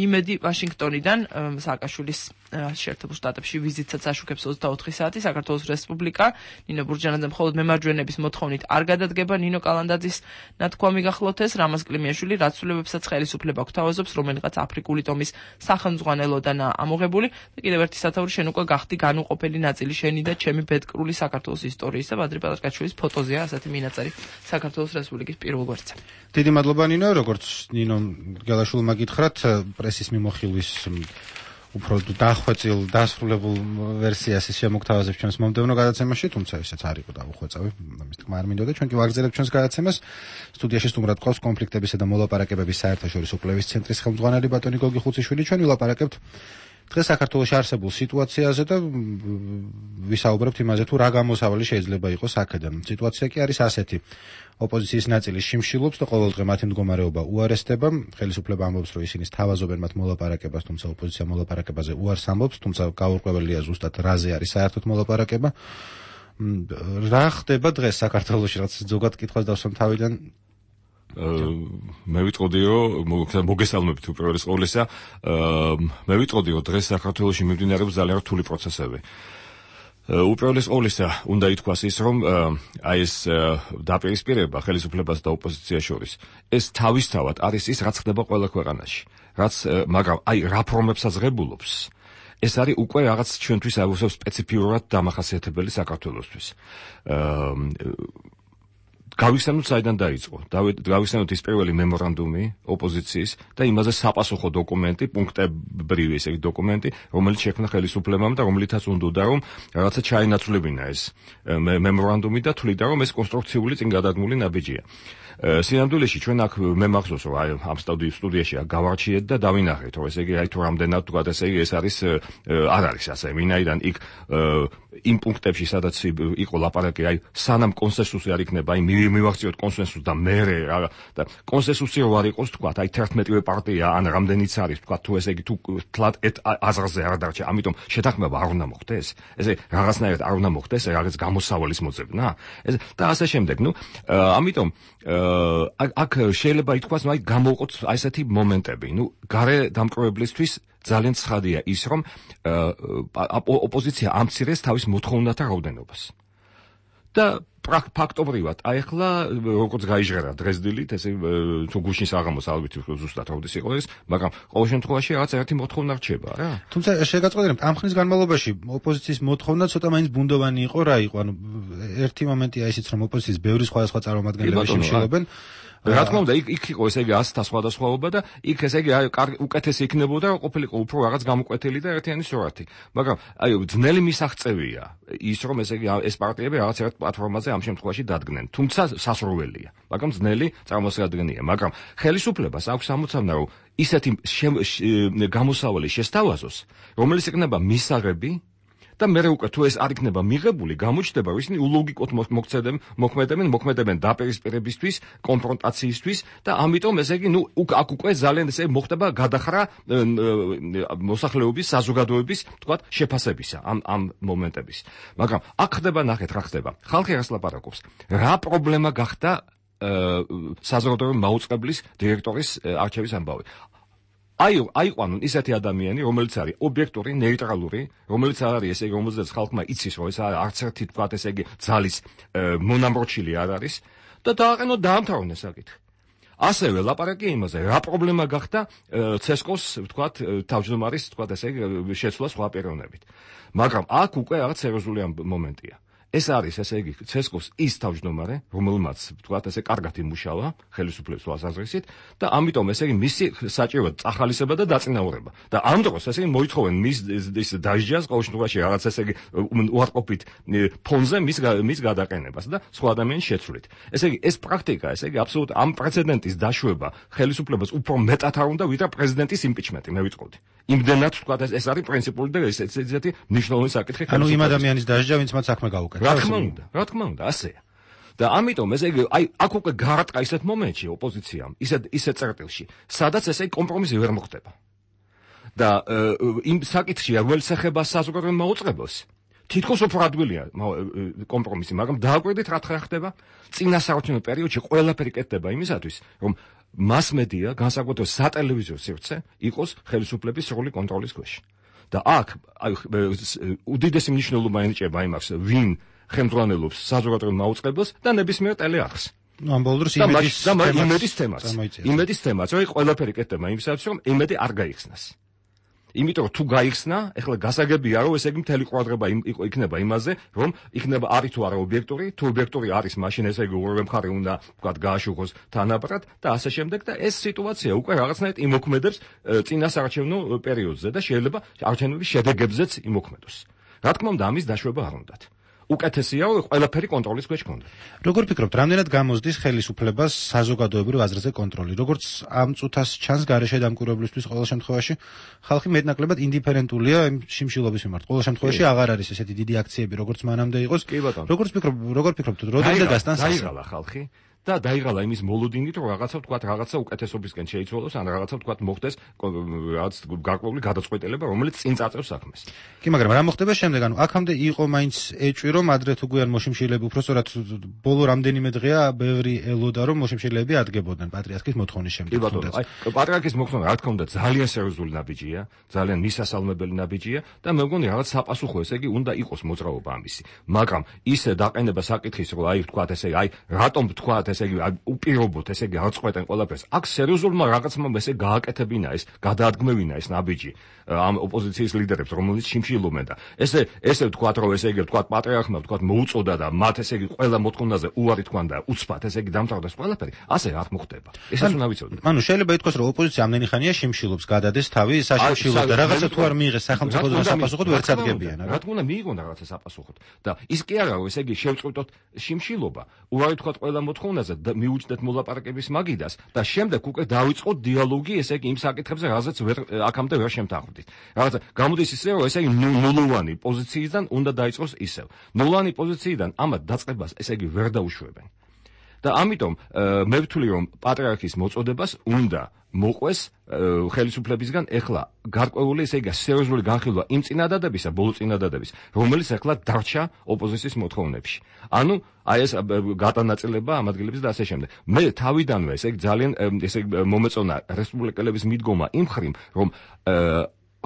Speaker 2: იმედი ვაშინგტონიდან, სააკაშვილის შეერთებულ შტატებში ვიზიტსაც აშუქებს ოცდაოთხი საათი. საქართველოს რესპუბლიკა ნინო ბურჯანაძე მხოლოდ მემარჯვენების მოთხოვნით არ გადადგება ნინო კალანდაძის ნათქვამი გახლოთ ეს. რამაზ კლიმიაშვილი რაცვლებებსაც ხელისუფლება გვთავაზობს, რომელიღაც აფრიკული ტომის სახელმძღვანელოდან ამოღებული და კიდევ ერთი სათაური შენ უკვე გახდი განუყოფელი ნაწილი შენი და ჩემი ბედკრული საქართველოს ისტორიის და ბადრი პალაშკაშვილის ფოტოზეა ასეთი მინაწერი საქართველოს რესპუბლიკის პირველ გვერდზე.
Speaker 1: დიდი მადლობა ნინო, როგორც ნინო გელაშვილმა გითხრათ, პრესის მიმოხილვის უფრო დახვეწილ დასრულებულ ვერსიას ის შემოგთავაზებს ჩვენს მომდევნო გადაცემაში, თუმცა ისეც არ იყო დაუხვეწავი, ამის თქმა არ მინდოდა. ჩვენ კი ვაგრძელებთ ჩვენს გადაცემას. სტუდიაში სტუმრად ყავს კონფლიქტებისა და მოლაპარაკებების საერთაშორისო კვლევის ცენტრის ხელმძღვანელი ბატონი გოგი ხუციშვილი. ჩვენ ვილაპარაკებთ დღეს საქართველოში არსებულ სიტუაციაზე და ვისაუბრებთ იმაზე, თუ რა გამოსავალი შეიძლება იყოს აქედან. სიტუაცია კი არის ასეთი. ოპოზიციის ნაწილი შიმშილობს და ყოველდღე მათი მდგომარეობა უარესდება. ხელისუფლება ამბობს, რომ ისინი სთავაზობენ მათ მოლაპარაკებას, თუმცა ოპოზიცია მოლაპარაკებაზე უარს ამბობს, თუმცა გაურკვეველია ზუსტად რაზე არის საერთოდ მოლაპარაკება. რა ხდება დღეს საქართველოში, რაც ზოგად კითხვას დავსვამ თავიდან?
Speaker 20: მე ვიტყოდი, რომ მოგესალმებით უპირველეს ყოვლისა, მე ვიტყოდი, რომ დღეს საქართველოში მიმდინარეობს ძალიან რთული პროცესები. უპირველეს ყოვლისა უნდა ითქვას ის, რომ აი ეს დაპირისპირება ხელისუფლებას და ოპოზიციას შორის ეს თავისთავად არის ის, რაც ხდება ყველა ქვეყანაში. რაც მაგრამ აი რაფორმებსაც ღებულობს, ეს არის უკვე რაღაც ჩვენთვის აუცილებლად სპეციფიურად დამახასიათებელი საქართველოსთვის. გავიხსენოთ საიდან დაიწყო. გავიხსენოთ ის პირველი მემორანდუმი ოპოზიციის და იმაზე საპასუხო დოკუმენტი, პუნქტებრივი ესე იგი დოკუმენტი, რომელიც შექმნა ხელისუფლებამ და რომელიცაც უნდა რომ რაღაცა ჩაენაცვლებინა ეს მემორანდუმი და თვლიდა რომ ეს კონსტრუქციული წინ გადადგმული ნაბიჯია. სინამდვილეში ჩვენ აქ მე მახსოვს რომ აი ამ სტუდიაში გავარჩიეთ და დავინახეთ რომ ესე იგი აი თუ რამდენად თქვა ესე იგი ეს არის არ არის ასე ვინაიდან იქ იმ პუნქტებში სადაც იყო ლაპარაკი აი სანამ კონსენსუსი არ იქნება აი მივახციოთ კონსენსუსს და მერე და კონსენსუსი რო არ იყოს თქვა აი თერთმეტივე პარტია ან რამდენიც არის თქვა თუ ესე იგი თუ თლად აზრზე არ დარჩა ამიტომ შეთანხმება არ უნდა მოხდეს ესე რაღაცნაირად არ უნდა მოხდეს რაღაც გამოსავალის მოძებნა ეს და ასე შემდეგ ნუ ამიტომ აქ შეიძლება ითქვას ნუ აი გამოვყოთ აი ესეთი მომენტები ნუ გარე დამკვირვებლისთვის ძალიან ცხადია ის რომ ოპოზიცია ამცირეს თავის მოთხოვნათა რაოდენობას და ფაქტობრივად აი ახლა როგორც გაიჟღერა დრეზდილით ესე თუ გუშინ საღამოს ალბათ ზუსტად როდის იყო ეს მაგრამ ყოველ შემთხვევაში რაღაც ერთი მოთხოვნა რჩება რა
Speaker 1: თუმცა შეგაწყვეტინებთ ამ ხნის განმავლობაში ოპოზიციის მოთხოვნა ცოტა მაინც ბუნდოვანი იყო რა იყო ანუ ერთი მომენტია ისიც რომ ოპოზიციის ბევრი სხვადასხვა წარმომადგენლები შემშილობენ
Speaker 20: რა თქმა უნდა იქ იქ იყო ესე იგი ასთა სხვადასხვაობა და იქ ესე იგი აი უკეთესი იქნებოდა რომ ყოფილიყო უფრო რაღაც გამოკვეთილი და ერთიანი სურათი მაგრამ აი ძნელი მისაღწევია ის რომ ესე იგი ეს პარტიები რაღაც ერთ პლატფორმაზე ამ შემთხვევაში დადგნენ თუმცა სასურველია მაგრამ ძნელი წარმოსადგენია მაგრამ ხელისუფლებას აქვს ამოცანა რომ ისეთი გამოსავალი შესთავაზოს რომელიც იქნება მისაღები და მე უკვე თუ ეს არ იქნება მიღებული, გამოჩნდება, რომ ისინი ულოგიკოდ მოქმედებენ, მოქმედებენ, მოქმედებენ დაპირისპირებისთვის, კონფრონტაციისთვის და ამიტომ ესე იგი, ნუ აქ უკვე ძალიან ესე მოხდება გადახრა მოსახლეობის, საზოგადოების, თქვათ, შეფასებისა ამ ამ მომენტების. მაგრამ აქ ხდება ნახეთ რა ხდება. ხალხი რას ლაპარაკობს? რა პრობლემა გახდა საზოგადოებრივი მაუწყებლის დირექტორის არჩევის ამბავი? აი აიყვანონ ისეთი ადამიანი, რომელიც არის ობიექტური, ნეიტრალური, რომელიც არ არის ესე იგი, რომელზეც ხალხმა იცის, რომ ეს არც ერთი თქვათ ესე იგი ძალის მონამროჩილი არ არის და დააყენოთ დაამთავრონ ეს საკითხი. ასევე ლაპარაკია იმაზე, რა პრობლემა გახდა ცესკოს, თქვათ, თავმჯდომარის, თქვათ ესე იგი, შეცვლა სხვა პიროვნებით. მაგრამ აქ უკვე რაღაც სერიოზული მომენტია. ეს არის ესე იგი ცესკოს ის თავმჯდომარე, რომელმაც თქვათ ესე კარგად იმუშავა ხელისუფლების თვალსაზრისით და ამიტომ ესე იგი მისი საჭიროა წახალისება და დაწინაურება. და ამ დროს ესე იგი მოითხოვენ მის ის დაჟჯას ყოველ შემთხვევაში რაღაც ესე იგი უარყოფით ფონზე მის მის გადაყენებას და სხვა ადამიანის შეცვლით. ესე იგი ეს პრაქტიკა ესე იგი აბსოლუტ ამ პრეცედენტის დაშვება ხელისუფლებას უფრო მეტად არ უნდა ვიდრე პრეზიდენტის იმპიჩმენტი მე ვიტყოდი. იმდენად თქვათ ეს არის პრინციპული და ესეთი მნიშვნელოვანი საკითხი.
Speaker 1: ანუ იმ ადამიანის დაჟჯა ვინც მათ საქმე გაუკეთა.
Speaker 20: რა თქმა უნდა, რა თქმა უნდა, ასეა. და ამიტომ ესე იგი, აი, აქ უკვე გაარტყა ისეთ მომენტში ოპოზიციამ, ისეთ ისეთ წერტილში, სადაც ესე კომპრომისი ვერ მოხდება. და იმ საკითხში, რომელიც ეხება საზოგადოებრივ მაუწყებელს, თითქოს უფრო ადვილია კომპრომისი, მაგრამ დააკვირდით რა ხდება? წინა საარჩევნო პერიოდში ყველაფერი კეთდება იმისათვის, რომ მასმედია, განსაკუთრებით სატელევიზიო სივრცე, იყოს ხელისუფლების სრული კონტროლის ქვეშ. და აქ აი უდიდესი მნიშვნელობა ენიჭება იმას, ვინ ხელმძღვანელობს საზოგადოებრივ მაუწყებელს და ნებისმიერ ტელეარხს.
Speaker 1: ну ამ ბოლოს
Speaker 20: იმედის იმედის თემაც იმედის თემაც რომ ყველაფერი კეთდება იმისათვის რომ იმედი არ გაიხსნას. იმიტომ რომ თუ გაიხსნა, ეხლა გასაგებია რომ ესე იგი მთელი ყურადღება იქნება იმაზე, რომ იქნება არის თუ არა ობიექტური, თუ ობიექტური არის, მაშინ ესე იგი ორივე მხარე უნდა ვთქვათ გააშუქოს თანაბრად და ასე შემდეგ და ეს სიტუაცია უკვე რაღაცნაირად იმოქმედებს წინასაარჩევნო პერიოდზე და შეიძლება არჩევნების შედეგებზეც იმოქმედოს. რა თქმა უნდა, ამის დაშვება არ უნდათ. უკეთესია რომ ყველაფერი კონტროლის ქვეშ გქონდა.
Speaker 1: როგორ ფიქრობთ, რამდენად გამოსდის ხელისუფლებას საზოგადოებრივ აზრზე კონტროლი? როგორც ამ წუთას ჩანს გარეშე დამკვირვებლისთვის ყოველ შემთხვევაში ხალხი მეტნაკლებად ინდიფერენტულია იმ შიმშილობის მიმართ. ყოველ შემთხვევაში აღარ არის ესეთი დიდი აქციები, როგორც მანამდე იყოს. როგორც ფიქრობთ, როგორ ფიქრობთ, როდესაც გასტანს
Speaker 20: დაიღალა ხალხი და დაიღალა იმის მოლოდინით, რომ რაღაცა ვთქვათ, რაღაცა უკეთესობისკენ შეიცვალოს, ან რაღაცა ვთქვათ, მოხდეს რაღაც გარკვეული გადაწყვეტილება, რომელიც წინ წაწევს საქმეს.
Speaker 1: კი, მაგრამ რა მოხდება შემდეგ? ანუ აქამდე იყო მაინც ეჭვი, რომ ადრე თუ გვიან მოშიმშილეები, უბრალოდ ბოლო რამდენიმე დღეა ბევრი ელოდა, რომ მოშიმშილეები ადგებოდნენ პატრიარქის მოთხოვნის შემდეგ.
Speaker 20: კი ბატონო, აი პატრიარქის მოთხოვნა, რა თქმა უნდა, ძალიან სერიოზული ნაბიჯია, ძალიან მისასალმებელი ნაბიჯია და მე მგონი რაღაც საპასუხო, ესე იგი, უნდა იყოს მოძრაობა ამისი. მაგრამ ისე დაყენება საკითხის, რომ აი ვთქვათ, ესე იგი, აი რატომ ვთქვათ ესე იგი უპირობოთ, ესე იგი აღწყვეტენ ყველაფერს. აქ სერიოზულმა რაღაცმა ესე გააკეთებინა ეს, გადაადგმევინა ეს ნაბიჯი ამ ოპოზიციის ლიდერებს, რომელიც შიმშილობენ და ესე ესე ვთქვათ, რომ ესე იგი ვთქვათ პატრიარქმა ვთქვათ მოუწოდა და მათ ესე იგი ყველა მოთხოვნაზე უარი თქვან და უცბად ესე იგი დამთავრდეს ყველაფერი, ასე არ მოხდება. ესეც უნდა ვიცოდეთ.
Speaker 1: ანუ შეიძლება ითქვას, რომ ოპოზიცია ამდენი ხანია შიმშილობს, გადადეს თავი საშიმშილოდ და რაღაცა თუ არ მიიღეს სახელმწიფო საპასუხოდ ვერც ადგენებიან.
Speaker 20: რა თქმა უნდა, მიიღონ რაღაცა საპასუხოდ და ის კი არა, რომ ესე იგი შევწყვიტოთ შიმშილობა, უარი თქვათ ყველა მოთხოვნაზე და მიუჭდეთ მოლაპარაკების მაგიდას და შემდეგ უკვე დავიწყოთ დიალოგი, ესე იგი იმ საკითხებზე, რაზეც ვერ აქამდე ვერ შემთანხმდით. რაღაცა გამოდის ისე, რომ ესე იგი ნულოვანი პოზიციიდან უნდა დაიწყოს ისევ. ნულოვანი პოზიციიდან ამათ დაწყებას ესე იგი ვერ დაუშვებენ. და ამიტომ მე ვთვლი, რომ პატრიარქის მოწოდებას უნდა მოყვეს ხელისუფლებისგან ეხლა გარკვეული ესე იგი სერიოზული განხილვა იმ წინადადებისა, ბოლო წინადადების, რომელიც ეხლა დარჩა ოპოზიციის მოთხოვნებში. ანუ აი ეს გადანაწილება ამ ადგილების და ასე შემდეგ. მე თავიდანვე ესე იგი ძალიან ესე იგი მომეწონა რესპუბლიკელების მიდგომა იმ ხრივ, რომ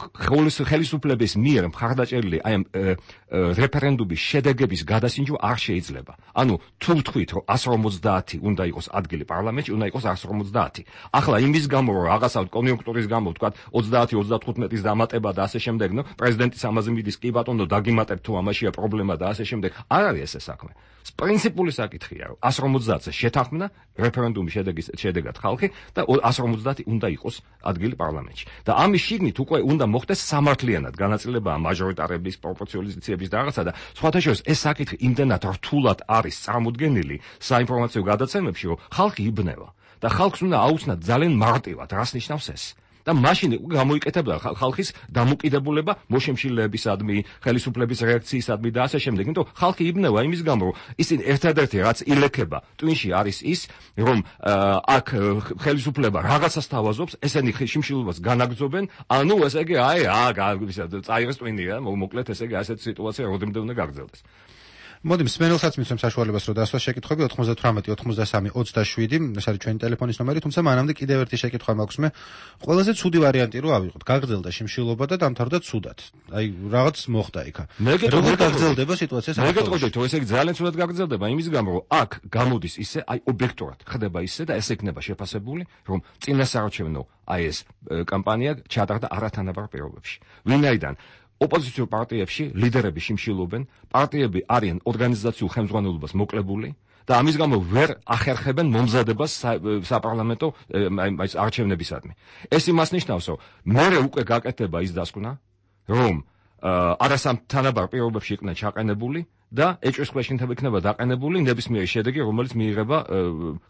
Speaker 20: ხელისუფლების მიერ მხარდაჭერილი აი ამ რეფერენდუმის შედეგების გადასინჯვა არ შეიძლება. ანუ თუ ვთქვით, რომ εκατს ორმოცდაათი უნდა იყოს ადგილი პარლამენტში, უნდა იყოს εκατს ორმოცდაათი. ახლა იმის გამო, რომ რაღაცა კონიუნქტურის გამო ვთქვათ ოცდაათი ოცდათხუთმეტის დამატება და ასე შემდეგ, ნუ პრეზიდენტის ამაზე მიდის, კი ბატონო, დაგიმატებ თუ ამაშია პრობლემა და ასე შემდეგ. არ არის ესე საქმე. პრინციპული საკითხია, რომ εκατს ორმოცდაათზე შეთანხმდა რეფერენდუმის შედეგის შედეგად ხალხი და εκατს ორმოცდაათი უნდა იყოს ადგილი პარლამენტში. და ამის შიგნით უკვე უნდა მოხდეს სამართლიანად განაწილება მაჟორიტარების პროპორციალიზაციების და რაღაცა და სხვათა შორის ეს საკითხი იმდენად რთულად არის წარმოდგენილი საინფორმაციო გადაცემებში, რომ ხალხი იბნევა და ხალხს უნდა აუცნათ ძალიან მარტივად, რას ნიშნავს ეს. და მაშინ გამოიკეთებდა ხალხის დამოკიდებულება მოშემშილეებისადმი, ხელისუფლების რეაქციისადმი და ასე შემდეგ. იმიტომ ხალხი იბნევა იმის გამო, რომ ისინი ერთადერთი რაც ილექება ტვინში არის ის, რომ აქ ხელისუფლება რაღაცას თავაზობს, ესენი შიმშილობას განაგრძობენ, ანუ ესე იგი აი აა წაიღეს ტვინი რა, მოკლედ ესე იგი ასეთი სიტუაცია როდემდე უნდა გაგრძელდეს.
Speaker 1: მოდი მსმენელსაც მისცემ საშუალებას, რომ დასვას შეკითხვები ოთხმოცდათვრამეტი ოცდასამი ოცდაშვიდი, ეს არის ჩვენი ტელეფონის ნომერი, თუმცა მანამდე კიდევ ერთი შეკითხვა მაქვს მე. ყველაზე ცუდი ვარიანტი რო ავიღოთ, გაგრძელდა შიმშილობა და დამთავრდა ცუდად. აი, რაღაც მოხდა იქა. როგორ გაგრძელდება სიტუაცია საქართველოში?
Speaker 20: მე გეტყოდით, რომ ესე იგი ძალიან ცუდად გაგრძელდება იმის გამო, რომ აქ გამოდის ისე, აი ობიექტურად ხდება ისე და ესე იქნება შეფასებული, რომ წინასაარჩევნო აი ეს კამპანია ჩატარდა არათანაბარ პირობებში. ვინაიდან ოპოზიციურ პარტიებში ლიდერები შიმშილობენ, პარტიები არიან ორგანიზაციულ ხელმძღვანელობას მოკლებული და ამის გამო ვერ ახერხებენ მომზადებას საპარლამენტო აი არჩევნებისადმი. ეს იმას ნიშნავს, რომ მერე უკვე გაკეთდება ის დასკვნა, რომ არასამთანაბარ პირობებში იყვნენ ჩაყენებული და ეჭვის ქვეშ იქნება დაყენებული ნებისმიერი შედეგი, რომელიც მიიღება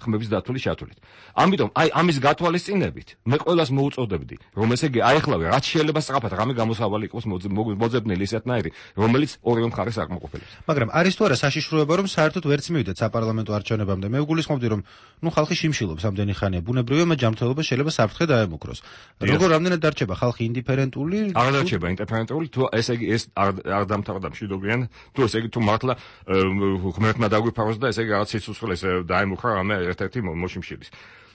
Speaker 20: ხმების დათვლის ჩათვლით. ამიტომ აი ამის გათვალისწინებით მე ყველას მოუწოდებდი, რომ ესე იგი აეხლავე, რაც შეიძლება სწრაფად რამე გამოსავალი იყოს მოძებნილი ისეთნაირი, რომელიც ორივე მხარეს აკმაყოფილებს.
Speaker 1: მაგრამ არის თუ არა საშიშროება, რომ საერთოდ ვერც მივიდეთ საპარლამენტო არჩევნებამდე? მე ვგულისხმობდი, რომ ნუ ხალხი შიმშილობს ამდენი ხანია, ბუნებრივია, მათ ჯანმრთელობა შეიძლება საფრთხე დაემუქროს. როგორ რამდენად დარჩება ხალხი ინდიფერენტული?
Speaker 20: არ დარჩება ინდიფერენტული, თუ ესე იგი ეს არ დამთავრდა მშვიდობიან, თუ ესე იგი თუ მართლა ღმერთმა დაგვიფაროს და ესე იგი რაღაც სიცოცხლეს დაემუქრა რამე ერთ-ერთი მოშიმშილის.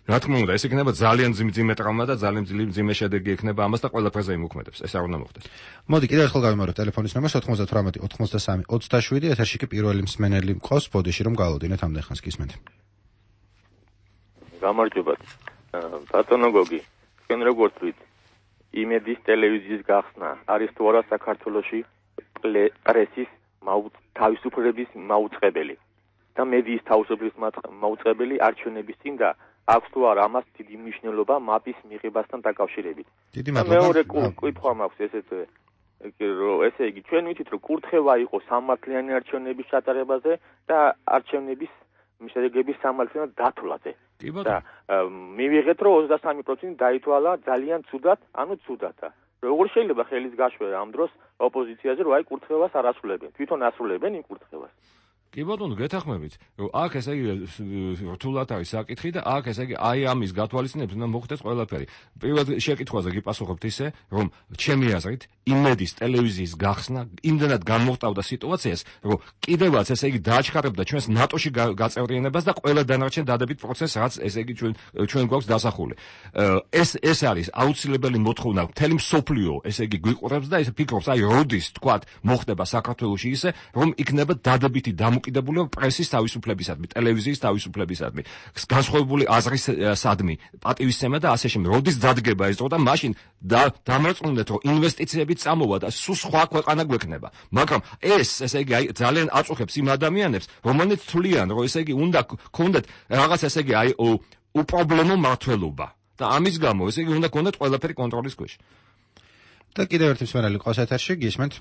Speaker 20: რა თქმა უნდა, ეს იქნება ძალიან ძიმე ტრავმა და ძალიან ძიმე შედეგი ექნება ამას და ყველაფერზე იმოქმედებს. ეს არ უნდა მოხდეს.
Speaker 1: მოდი კიდევ ერთხელ გავიმაროთ ტელეფონის ნომერს ოთხმოცდათვრამეტი ოცდასამი ოცდაშვიდი, ეთერში კი პირველი მსმენელი მყავს ბოდიში, რომ გავავდინეთ ამდენ ხანს გისმენთ.
Speaker 21: გამარჯობათ. ბატონო გოგი, თქვენ როგორც ვით, იმედის ტელევიზიის გახსნა არის თუ არა საქართველოში პრესის თავისუფლების მაუწყებელი და მედიის თავისუფლების მაუწყებელი არჩევნების წინ და აქვს თუ არა ამას დიდი მნიშვნელობა მაპის მიღებასთან დაკავშირებით.
Speaker 1: დიდი მადლობა.
Speaker 21: მეორე კითხვა მაქვს ესეც ესე იგი ჩვენ ვიცით რომ კურთხევა იყო სამართლიანი არჩევნების ჩატარებაზე და არჩევნების შედეგების სამართლიან დათვლაზე. და მივიღეთ რომ ოცდასამი პროცენტი დაითვალა ძალიან ცუდად, ანუ ცუდადა. როგორ შეიძლება ხელის გაშვერა ამ დროს ოპოზიციაზე რომ აი კურთხევას არ ასრულებენ, თვითონ ასრულებენ იმ კურთხევას.
Speaker 20: კი ბატონო, გეთახმებით, რომ აქ ესე იგი რთულად არის საკითხი და აქ ესე იგი აი ამის გათვალისწინებით უნდა მოხდეს ყველაფერი. პირველ შეკითხვაზე გიპასუხებთ ისე, რომ ჩემი აზრით იმედის ტელევიზიის გახსნა იმდენად გამოხტავდა სიტუაციას, რომ კიდევაც ესე იგი დააჩქარებდა ჩვენს ნატოში გაწევრიანებას და ყველა დანარჩენ დადებით პროცესს, რაც ესე იგი ჩვენ ჩვენ გვაქვს დასახული. ეს ეს არის აუცილებელი მოთხოვნა მთელი მსოფლიო ესე იგი გვიყურებს და ეს ფიქრობს, აი როდის თქვათ მოხდება საქართველოში ისე, რომ იქნება დადებითი დამოკიდებულება პრესის თავისუფლებისადმი, ტელევიზიის თავისუფლებისადმი, განსხვავებული აზრისადმი, პატივისცემა და ასე შემდეგ. როდის დადგება ეს დრო და მაშინ დამარწმუნდეთ, რომ ინვესტიციები წამოვა და სულ სხვა ქვეყანა გვექნება. მაგრამ ეს, ესე იგი, აი ძალიან აწუხებს იმ ადამიანებს, რომელნიც თვლიან, რომ ესე იგი უნდა ქონდეთ რაღაც ესე იგი აი უპრობლემო მმართველობა. და ამის გამო, ესე იგი, უნდა ქონდეთ ყველაფერი კონტროლის ქვეშ.
Speaker 1: და კიდევ ერთი მსმენელი ყავს ეთერში, გისმენთ?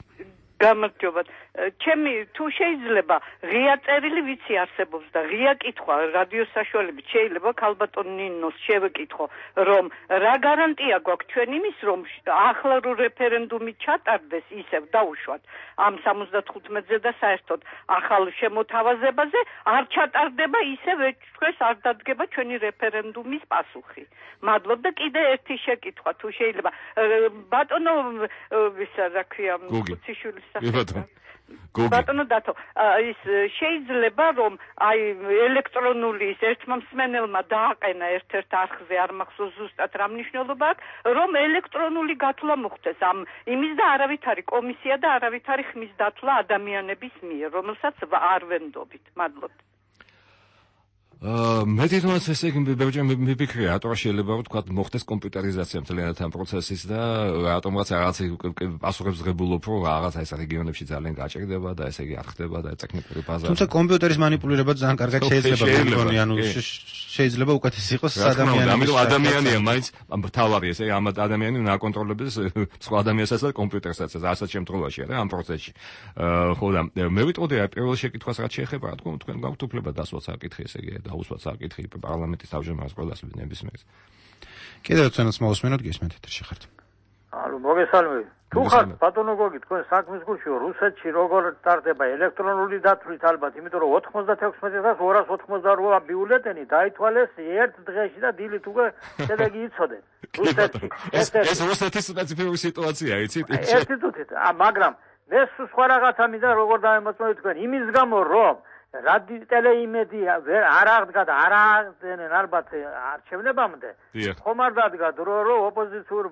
Speaker 5: გამარჯობათ. ჩემი თუ შეიძლება ღია წერილი ვიცი არსებობს და ღია კითხვა რადიო საშუალებით შეიძლება ქალბატონ ნინოს შევეკითხო რომ რა გარანტია გვაქვს ჩვენ იმის რომ ახლა რო რეფერენდუმი ჩატარდეს ისევ დაუშვათ ამ სამოცდათხუთმეტზე და საერთოდ ახალ შემოთავაზებაზე არ ჩატარდება ისევ ჩვენს არ დადგება ჩვენი რეფერენდუმის პასუხი. მადლობ და კიდე ერთი შეკითხვა თუ შეიძლება ბატონო ვისა რა ქვია ხუციშვილის ბატონო დათო ის შეიძლება რომ აი ელექტრონული ის ერთმა მსმენელმა დააყენა ერთ-ერთ არხზე არ მახსოვს ზუსტად რა მნიშვნელობა აქვს რომ ელექტრონული გათვლა მოხდეს ამ იმის და არავითარი კომისია და არავითარი ხმის დათვლა ადამიანების მიერ რომელსაც არ ვენდობით. მადლობთ.
Speaker 20: მე თვითონაც ესე იგი მიფიქრია, რატომ შეიძლება რომ თქვა მოხდეს კომპიუტერიზაცია მთლიანად ამ პროცესის და რატომღაც რაღაც პასუხებს ღებულობ, რომ რაღაც ეს რეგიონებში ძალიან გაჭირდება და ესე იგი არ ხდება და ტექნიკური ბაზა.
Speaker 1: თუმცა კომპიუტერის манипуლირება ძალიან კარგად შეიძლება მეგონი, ანუ შეიძლება უკეთეს იყოს ადამიანი.
Speaker 20: ამიტომ ადამიანია მაინც თავარი ესე ამ ადამიანი უნდა აკონტროლებს სხვა ადამიანსაც და კომპიუტერსაც ასეთ შემთხვევაში რა ამ პროცესში. ხო და მე ვიტყოდი აი პირველ შეკითხვას რაც შეეხება, რა თქმა უნდა თქვენ გაქვთ უფლება დასვათ საკითხი ესე იგი დაუსვათ საკითხი პარლამენტის თავმჯდომარეს ყველას ნებისმიერს.
Speaker 1: კიდევ ჩვენს მოусმინოთ გისმენთ ეთერში ხართ.
Speaker 22: ალო მოგესალმებით. თუ ხართ ბატონო გოგი თქვენ საქმის გულში რუსეთში როგორ სტარტდება ელექტრონული დათვლით ალბათ, იმიტომ რომ ოთხმოცდათექვსმეტი ათას ორას ოცდაოთხმოცდარვა ბიულეტენი დაითვალეს ერთ დღეში და დილით უკვე შედეგი იცოდნენ. რუსეთში.
Speaker 20: ეს რუსეთის სპეციფიკური სიტუაცია, იცით?
Speaker 22: ერთი თუთით, მაგრამ მე სხვა რაღაცა მინდა როგორ დაემოწმოთ თქვენ იმის გამო რომ რადიო ტელეიმედია არ აღდგა და არ აღდგენენ ალბათ არჩევნებამდე ხომ არ დადგა დრო რომ ოპოზიციურ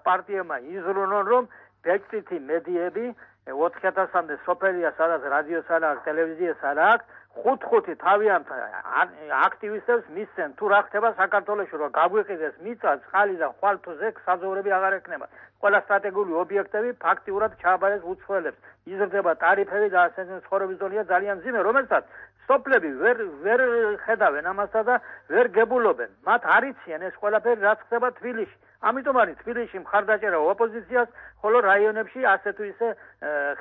Speaker 22: პარტიებმა იზრუნონ რომ ბეჭდითი მედიები ოთხი ათასამდე სოფელია სადაც რადიოს არ აქვს ტელევიზიას არ აქვს ხუთ-ხუთი თავიანთ აქტივისტებს მისცენ თუ რა ხდება საქართველოში რომ გაგვიყიდეს მიწა წყალი და ხვალთუზე საძოვრები აღარ ექნება ყველა სტრატეგიული ობიექტები ფაქტიურად ჩააბარეს უცხოელებს იზრდება ტარიფები და ასეთი ცხოვრების დონეა ძალიან მძიმე რომელსაც სოფლები ვერ ვერ ხედავენ ამასა და ვერ გებულობენ მათ არ იციან ეს ყველაფერი რაც ხდება თბილისში ამიტომ არის თბილისში მხარდაჭერა ოპოზიციას ხოლო რაიონებში ასე თუ ისე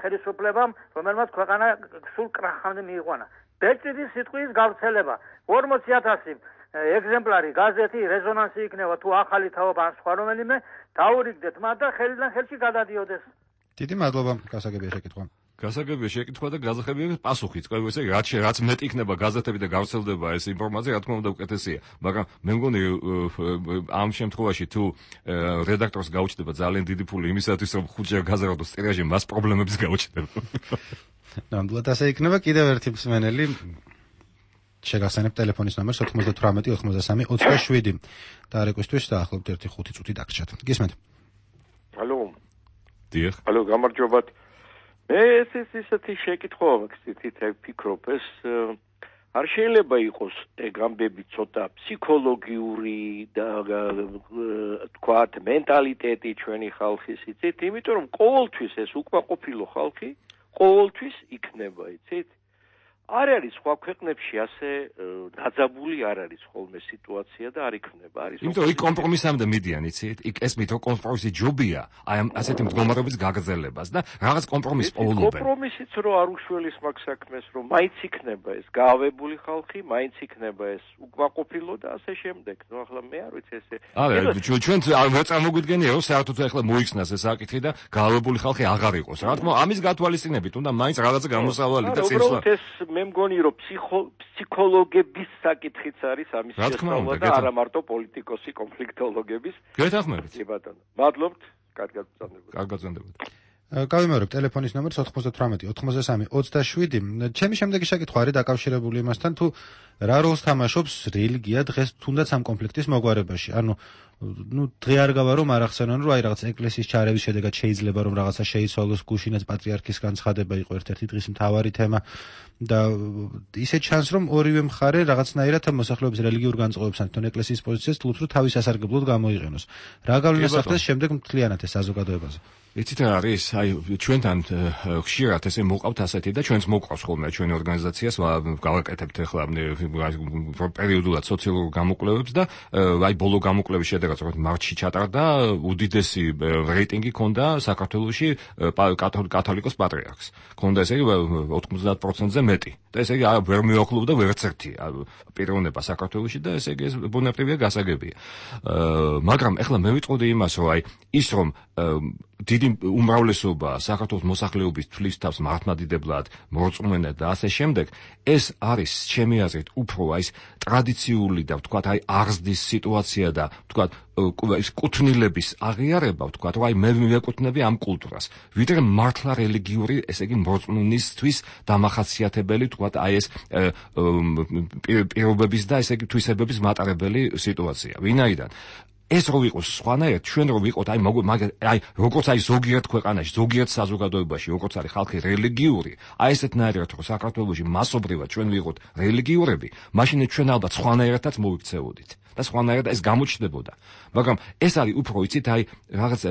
Speaker 22: ხელისუფლებამ რომელმაც ქვეყანა სულ კრახამდე მიიყვანა ბეჭდის სიტყვის გავრცელება ორმოცი ათასი ეგზემპლარი გაზეთი რეზონანსი იქნება თუ ახალი თაობა ან სხვა რომელიმე დაურიგდეთ მათ და ხელიდან ხელში გადადიოდეს.
Speaker 1: დიდი მადლობა გასაგებია შეკითხვა.
Speaker 20: გასაგებია შეკითხვა და გაზახებია პასუხიც. ყველა ესე რაც რაც მეტი იქნება გაზეთები და გავრცელდება ეს ინფორმაცია, რა თქმა უნდა უკეთესია. მაგრამ მე მგონი ამ შემთხვევაში თუ რედაქტორს გაუჩნდება ძალიან დიდი ფული იმისათვის რომ ხუთჯერ გაზარდოს ტირაჟი, მას პრობლემებს გაუჩნდება.
Speaker 1: ნამდვილად ასე იქნება. კიდევ ერთი მსმენელი შეგახსენებთ ტელეფონის ნომერს ოთხმოცდათვრამეტი ოცდასამი ოცდაშვიდი და რეკვესტვის დაახლოებით ერთი ხუთი წუთი დაგრჩათ. გისმენთ.
Speaker 3: ალო.
Speaker 20: დიახ.
Speaker 3: ალო, გამარჯობათ. მე ეს ის ისეთი შეკითხვა მაქვს, ფიქრობ ეს არ შეიძლება იყოს ეგ ამბები ცოტა ფსიქოლოგიური და თქვათ მენტალიტეტი ჩვენი ხალხის, იცით? იმიტომ რომ ყოველთვის ეს უკმაყოფილო ხალხი ყოველთვის იქნება, იცით? არ არის სხვა ქვეყნებში ასე დაძაბული არ არის ხოლმე სიტუაცია და არ იქნება, არის.
Speaker 20: იმიტომ იქ კომპრომისამდე მიდიან, იცით? იქ ეს მით რომ კომპრომისი ჯობია, აი ამ ასეთი მდგომარეობის გაგრძელებას და რაღაც კომპრომისს პოულობენ.
Speaker 3: კომპრომისიც რო არ უშველის მაგ საქმეს, რომ მაინც იქნება ეს გაავებული ხალხი, მაინც იქნება ეს უკმაყოფილო და ასე შემდეგ. ნუ ახლა მე არ ვიცი ესე.
Speaker 20: არა, ჩვენ ვერ წარმოგვიდგენია რომ საერთოდ ახლა მოიქცნას ეს საკითხი და გაავებული ხალხი აღარ იყოს. რა თქმა უნდა, ამის გათვალისწინებით უნდა მაინც რაღაცა გამოსავალი და წინსვლა.
Speaker 3: მე მგონი რომ ფსიქოლოგების საკითხიც არის ამის შესწავლა და არა მარტო პოლიტიკოსი კონფლიქტოლოგების.
Speaker 20: გეთანხმებით.
Speaker 3: კი ბატონო. მადლობთ. კარგად გწონდებათ.
Speaker 20: კარგად გწონდებათ.
Speaker 1: გავიმეორებ ტელეფონის ნომერს ოთხმოცდათვრამეტი ოცდასამი ოცდაშვიდი. ჩემი შემდეგი შეკითხვა არის დაკავშირებული იმასთან, თუ რა როლს თამაშობს რელიგია დღეს თუნდაც ამ კონფლიქტის მოგვარებაში. ანუ ну დღე არ გავა რომ არ ახსენონ რომ აი რაღაც ეკლესიის ჩარევის შედეგად შეიძლება რომ რაღაცა შეიცვალოს გუშინაც პატრიარქის განცხადება იყო ერთ-ერთი დღის მთავარი თემა და ისე ჩანს რომ ორივე მხარე რაღაცნაირად მოსახლეობის რელიგიურ განწყობებსთან თვითონ ეკლესიის პოზიციას თulit რომ თავის სასარგებლოდ გამოიყენოს. რა გავლენას ახდენს შემდეგ მთლიანად ეს საზოგადოებაზე?
Speaker 20: იცით რა არის? აი ჩვენთან ხშირად ესე მოყავთ ასეთი და ჩვენც მოყავს ხოლმე ჩვენი ორგანიზაციას გავაკეთებთ ახლა პერიოდულად სოციალურ გამოკვლევებს და აი ბოლო გამოკვლევის შედეგად როგორც მარტში ჩატარდა უდიდესი რეიტინგი ქონდა საქართველოში კათოლიკოს პატრიარქს. ქონდა ესე იგი ოთხმოცდაათ პროცენტზე მეტი. და ესე იგი ვერ მიოხლობდა ვერც ერთი პიროვნება საქართველოში და ესე იგი ეს ბუნებრივია გასაგებია. მაგრამ ახლა მე ვიტყოდი იმას რომ აი ის რომ დიდი უმრავლესობა საქართველოს მოსახლეობის თვლის თავს მართლმადიდებლად, მორწმუნედ და ასე შემდეგ, ეს არის ჩემი აზრით უფრო აი ეს ტრადიციული და ვთქვათ აი აღზრდის სიტუაცია და ვთქვათ ის კუთვნილების აღიარება, ვთქვათ, რომ აი მე მივეკუთვნები ამ კულტურას. ვიდრე მართლა რელიგიური, ესე იგი მორწმუნისთვის დამახასიათებელი, ვთქვათ, აი ეს პირობების და ესე იგი თვისებების მატარებელი სიტუაცია. ვინაიდან ეს რო იყოს სხვანაირად, ჩვენ რო ვიყოთ, აი აი როგორც აი ზოგიერთ ქვეყანაში, ზოგიერთ საზოგადოებაში, როგორც არის ხალხი რელიგიური, აი ესეთნაირად რო საქართველოში მასობრივად ჩვენ ვიყოთ რელიგიურები, მაშინ ჩვენ ალბათ სხვანაირადაც მოვიქცეოდით. და სხვანაირად ეს გამოჩნდებოდა. მაგრამ ეს არის უფრო იცით აი რაღაც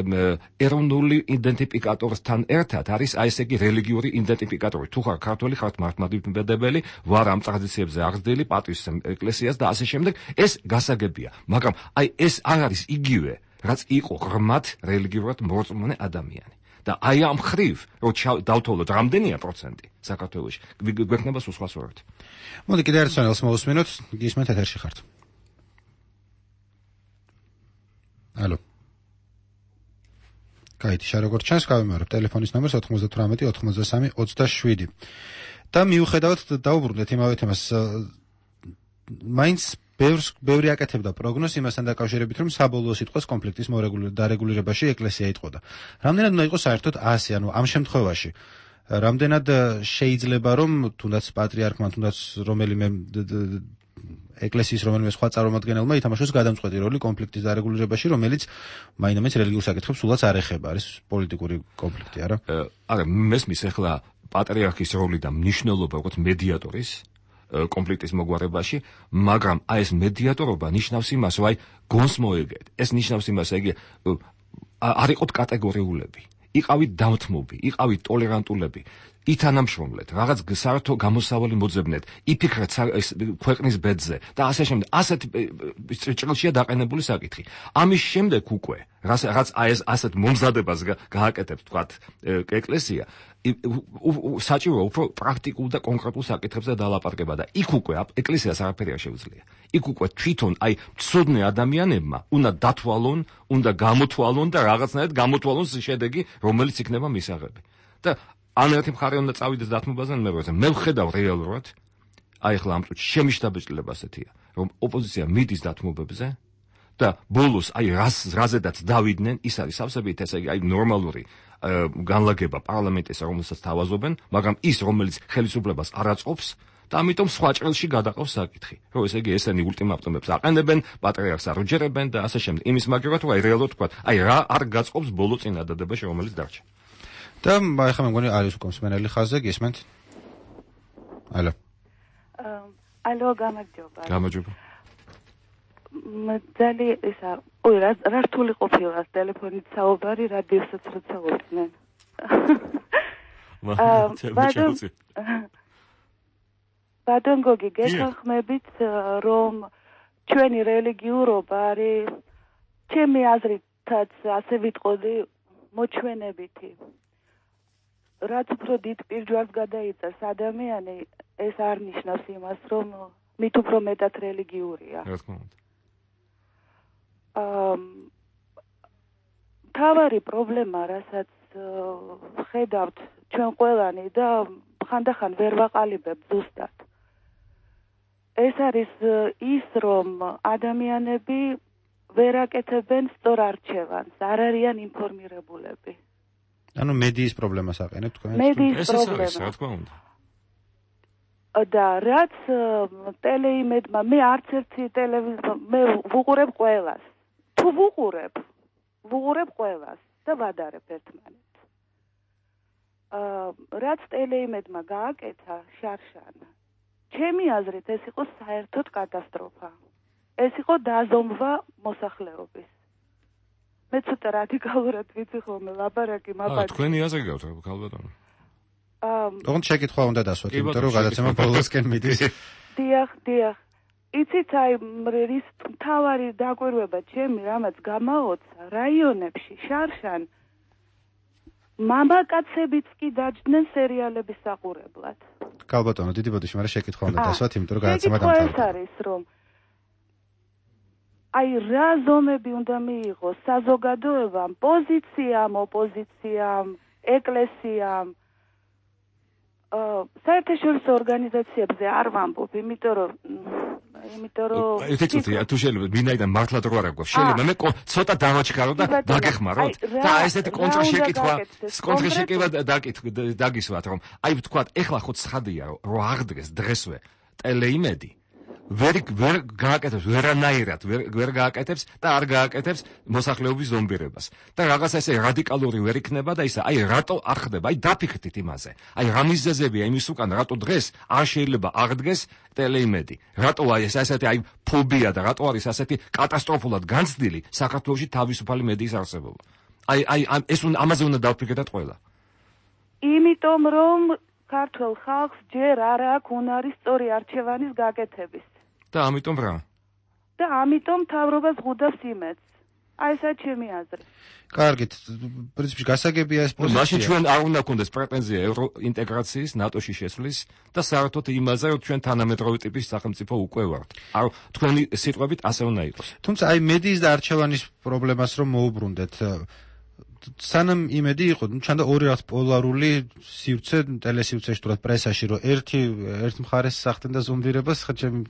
Speaker 20: ეროვნული იდენტიფიკატორთან ერთად არის აი ესე იგი რელიგიური იდენტიფიკატორი. თუ ხარ ქართველი, ხარ მართლმადიდებელი, ვარ ამ ტრადიციებზე აღზრდილი, პატვის ეკლესიას და ასე შემდეგ, ეს გასაგებია. მაგრამ აი ეს არ არის იგივე, რაც იყო ღრმად რელიგიურად მორწმუნე ადამიანი. და აი ამ ხრივ რო დავთვალოთ რამდენია პროცენტი საქართველოში, გვექნება სულ სხვა სურათი.
Speaker 1: მოდი კიდევ ერთ სვენელს მოვუსმინოთ, გისმენთ ეთერში ხართ. ალო. კაი, შე როგორც ჩანს, გავიმეორებ ტელეფონის ნომერს ოთხმოცდათვრამეტი ოცდასამი ოცდაშვიდი. და მიუხედავად დაუბრუნდეთ იმავე თემას, მაინც ბევრს ბევრი აკეთებდა პროგნოზს იმასთან დაკავშირებით, რომ საბოლოო სიტყვას კონფლიქტის დარეგულირებაში ეკლესია იტყოდა. რამდენად უნდა იყოს საერთოდ ასი, ანუ ამ შემთხვევაში რამდენად შეიძლება რომ თუნდაც პატრიარქმა, თუნდაც რომელიმე ეკლესიის რომელიმე სხვა წარმომადგენელმა ითამაშოს გადამწყვეტი როლი კონფლიქტის დარეგულირებაში, რომელიც მაინც რელიგიურ საკითხებს სულაც არ ეხება, არის პოლიტიკური კონფლიქტი, არა?
Speaker 20: არა, მესმის ახლა პატრიარქის როლი და მნიშვნელობა როგორც მედიატორის კონფლიქტის მოგვარებაში, მაგრამ აი ეს მედიატორობა ნიშნავს იმას, რომ აი გონს მოეგეთ. ეს ნიშნავს იმას, იგი არ იყოთ კატეგორიულები. იყავით დამთმობი, იყავით ტოლერანტულები. ითანამშრომლეთ, რაღაც საერთო გამოსავალი მოძებნეთ, იფიქრეთ ქვეყნის ბედზე და ასე შემდეგ. ასეთ ჭრილშია დაყენებული საკითხი. ამის შემდეგ უკვე, რაც რაც აი ეს ასეთ მომზადებას გააკეთებს, თქვათ, ეკლესია, საჭიროა უფრო პრაქტიკულ და კონკრეტულ საკითხებზე დალაპარაკება და იქ უკვე ეკლესიას არაფერი არ შეუძლია. იქ უკვე თვითონ აი ცოდნე ადამიანებმა უნდა დათვალონ, უნდა გამოთვალონ და რაღაცნაირად გამოთვალონ შედეგი, რომელიც იქნება მისაღები. და ან ერთი მხარე უნდა წავიდეს დათმობაზე, ან მეორე. მე ვხედავ რეალურად, აი ახლა ამ წუთში შემიშტაბეჭდილება ასეთია, რომ ოპოზიცია მიდის დათმობებზე და ბოლოს აი რას რაზედაც დავიდნენ, ის არის სავსებით ესე იგი აი ნორმალური განლაგება პარლამენტისა, რომელსაც თავაზობენ, მაგრამ ის რომელიც ხელისუფლებას არ აწყობს და ამიტომ სხვა ჭრილში გადაყავს საკითხი. რომ ესე იგი ესენი ულტიმატუმებს აყენებენ, პატრიარქს არ უჯერებენ და ასე შემდეგ. იმის მაგერად თუ აი რეალურად თქვა, აი რა არ გაწყობს ბოლო წინადადებაში, რომელიც დარჩა.
Speaker 1: და ახლა მე მგონი არის უკვე მსმენელი ხაზზე, გისმენთ? ალო.
Speaker 4: ალო, გამარჯობა.
Speaker 20: გამარჯობა.
Speaker 4: მძალი ისა, ой, რა რა რთული ყოფილა ტელეფონით საუბარი, რადიოსაც როცა ვუწმენ. ბადონ ბადონ გოგი გეთანხმებით, რომ ჩვენი რელიგიურობა არის ჩემი აზრითაც ასე ვიტყოდი მოჩვენებითი. რაც უფრო დიდ პირჯვარს გადაიწევს ადამიანი, ეს არ ნიშნავს იმას, რომ მით უფრო მეტად რელიგიურია.
Speaker 20: რა თქმა უნდა.
Speaker 4: აა თავარი პრობლემა, რასაც ხედავთ ჩვენ ყველანი და ხანდახან ვერ ვაყალიბებთ ზუსტად. ეს არის ის, რომ ადამიანები ვერ აკეთებენ სწორ არჩევანს, არ არიან ინფორმირებულები.
Speaker 1: ანუ მედიის პრობლემას აყენებთ თქვენ?
Speaker 4: მედიის პრობლემა.
Speaker 20: რა თქმა უნდა.
Speaker 4: და რაც ტელეიმედმა, მე არც ერთი ტელევიზია, მე ვუყურებ ყველას. თუ ვუყურებ, ვუყურებ ყველას და ვადარებ ერთმანეთს. აა რაც ტელეიმედმა გააკეთა შარშან, ჩემი აზრით ეს იყო საერთოდ კატასტროფა. ეს იყო დაზომვა მოსახლეობის. მე ცოტა რადიკალურად ვიცი ხოლმე ლაბარაკი მაბაძი.
Speaker 20: აა თქვენი აზრი გაქვთ ქალბატონო?
Speaker 4: აა
Speaker 1: ოღონდ შეკითხვა უნდა დასვათ, იმიტომ რომ გადაცემა ბოლოსკენ მიდის.
Speaker 4: დიახ, დიახ. იცით აი რის თავარი დაკვირვება ჩემი რამაც გამაოცა რაიონებში შარშან მამაკაცებიც კი დაჯდნენ სერიალების საყურებლად.
Speaker 1: ქალბატონო, დიდი ბოდიში, მაგრამ შეკითხვა უნდა დასვათ, იმიტომ რომ გადაცემა
Speaker 4: დამთავრდა.
Speaker 1: დამთავრდა.
Speaker 4: ეს არის რომ აი რა ზომები უნდა მიიღოს საზოგადოებამ, პოზიციამ, ოპოზიციამ, ეკლესიამ, აა საერთაშორისო ორგანიზაციებზე არ ვამბობ, იმიტომ რომ იმიტომ რომ
Speaker 20: ეთიცოთი თუ შეიძლება ვინაიდან მართლად რო არ აქვს შეიძლება მე ცოტა დავაჩქარო და დაგეხმაროთ და ესეთი კონტრშეკითხვა კონტრშეკითხვა დაგისვათ რომ აი ვთქვათ ეხლა ხო ცხადია რომ აღდგეს დღესვე ტელეიმედი ვერ ვერ გააკეთებს ვერანაირად ვერ გააკეთებს და არ გააკეთებს მოსახლეობის ზომბირებას და რაღაცა ესე რადიკალური ვერ იქნება და ისა აი რატო არ ხდება აი დაფიქრდით იმაზე აი რა მიზეზებია იმის უკან რატო დღეს არ შეიძლება აღდგეს ტელეიმედი რატო აი ეს ასეთი აი ფობია და რატო არის ასეთი კატასტროფულად განცდილი საქართველოში თავისუფალი მედიის არსებობა აი აი ეს ამაზე უნდა დავფიქრდეთ ყველა
Speaker 4: იმიტომ რომ ქართულ ხალხს ჯერ არ აქვს უნარი სწორი არჩევანის გაკეთების
Speaker 20: და ამიტომ რა?
Speaker 4: და ამიტომ თავრობას ღუდავს იმედს. აი ესა ჩემი აზრი.
Speaker 1: კარგით, პრინციპში გასაგებია ეს პოზიცია.
Speaker 20: მაშინ ჩვენ არ უნდა გქონდეს პრეტენზია ევროინტეგრაციის, ნატოში შესვლის და საერთოდ იმაზე, რომ ჩვენ თანამედროვე ტიპის სახელმწიფო უკვე ვართ. არ თქვენი სიტყვებით ასე უნდა იყოს.
Speaker 1: თუმცა აი მედიის და არჩევანის პრობლემას რომ მოუბრუნდეთ, სანამ იმედი იყო, ну ჩანდა ორი რაღაც პოლარული სივრცე ტელესივრცეში თურმე პრესაში, რომ ერთი ერთ მხარეს სახდენ და ზომბირებას, ხა ჩემი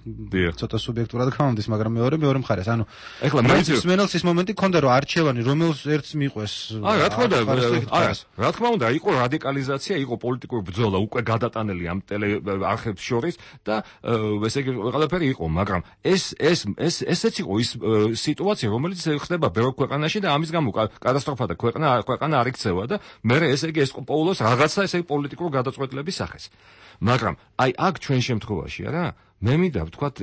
Speaker 1: ცოტა სუბიექტურად გამომდის, მაგრამ მეორე მეორე მხარეს. ანუ
Speaker 20: ეხლა მეც
Speaker 1: მსმენელს ის მომენტი ქონდა, რომ არჩევანი რომელს ერთს მიყვეს.
Speaker 20: აა რა თქმა უნდა, აა რა თქმა უნდა, იყო რადიკალიზაცია, იყო პოლიტიკური ბრძოლა უკვე გადატანელი ამ ტელე არხებს შორის და ესე იგი ყველაფერი იყო, მაგრამ ეს ეს ეს ესეც იყო ის სიტუაცია, რომელიც ხდება ბევრ ქვეყანაში და ამის გამო კატასტროფა და ქვეყანა ქვეყანა არ იქცევა და მე ესე იგი ეს პოულოს რაღაცა ესე პოლიტიკურ გადაწყვეტილების სახეს. მაგრამ აი აქ ჩვენ შემთხვევაში არა მე მინდა ვთქვათ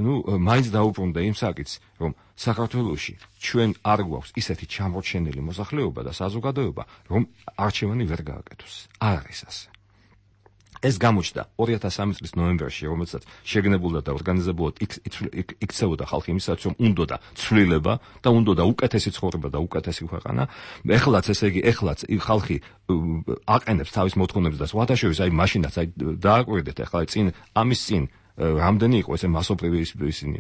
Speaker 20: ნუ მაინც დაუბრუნდა იმ საკითხს რომ საქართველოში ჩვენ არ გვაქვს ისეთი ჩამორჩენილი მოსახლეობა და საზოგადოება რომ არჩევანი ვერ გააკეთოს. არ არის ასე. ეს გამოჩნდა ორი ათას სამი წლის ნოემბერში, რომელსაც შეგნებულდა და ორგანიზებულად იქცეოდა ხალხი იმისაც, რომ უნდოდა ცვლილება და უნდოდა უკეთესი ცხოვრება და უკეთესი ქვეყანა. ეხლაც ესე იგი, ეხლაც ხალხი აყენებს თავის მოთხოვნებს და სხვათაშორის აი მაშინაც აი დააკვირდეთ ახლა წინ ამის წინ რამდენი იყო ესე მასობრივი ისინი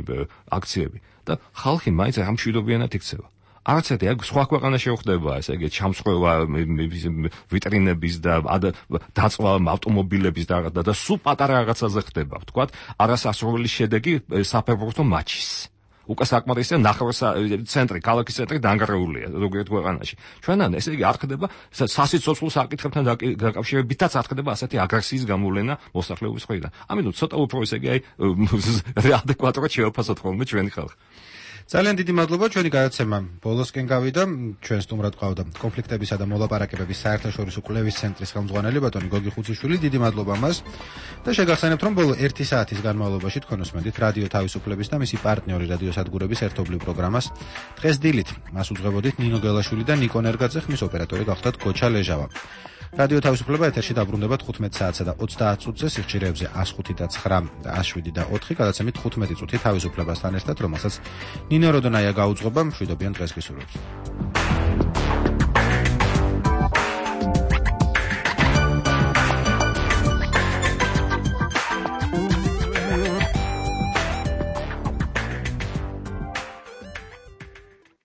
Speaker 20: აქციები და ხალხი მაინც ამ მშვიდობიანად იქცევა. არც ერთი აქ სხვა ქვეყანაში ხდება ესე იგი ჩამსხვრევა ვიტრინების და დაწვა ავტომობილების და და სულ პატარა რაღაცაზე ხდება ვთქვათ არასასრული შედეგი საფეხბურთო მატჩის უკვე საკმარისია ნახევარ ცენტრი, ქალაქის ცენტრი დანგრეულია ზოგიერთ ქვეყანაში. ჩვენან ესე იგი არ ხდება სასიცოცხლო საკითხებთან დაკავშირებითაც არ ხდება ასეთი აგრესიის გამოვლენა მოსახლეობის მხრიდან. ამიტომ ცოტა უფრო ესე იგი აი ადეკვატურად შევაფასოთ ხოლმე ჩვენი ხალხი.
Speaker 1: ძალიან დიდი მადლობა ჩვენი გადაცემა ბოლოსკენ გავიდა. ჩვენ სტუმრად ყავდა კონფლიქტებისა და მოლაპარაკებების საერთაშორისო კვლევის ცენტრის ხელმძღვანელი ბატონი გოგი ხუციშვილი. დიდი მადლობა მას და შეგახსენებთ რომ ბოლო ერთი საათის განმავლობაში თქვენ უსმენთ რადიო თავისუფლების და მისი პარტნიორი რადიოსადგურების ერთობლივ პროგრამას დღეს დილით. მას უძღვებოდით ნინო გელაშვილი და ნიკო ნერგაძე, ხმის ოპერატორი გახდათ გოჩა ლეჟავა. რადიო თავისუფლება ეთერში დაბრუნდება თხუთმეტ საათსა და ოცდაათ წუთზე სიხშირეებზე one oh five და nine და one oh seven და four გადაცემით თხუთმეტი წუთი თავისუფლებასთან ერთად, რომელსაც ნინო როდონაია გაუძღვება. მშვიდობიან დღეს გისურვებთ.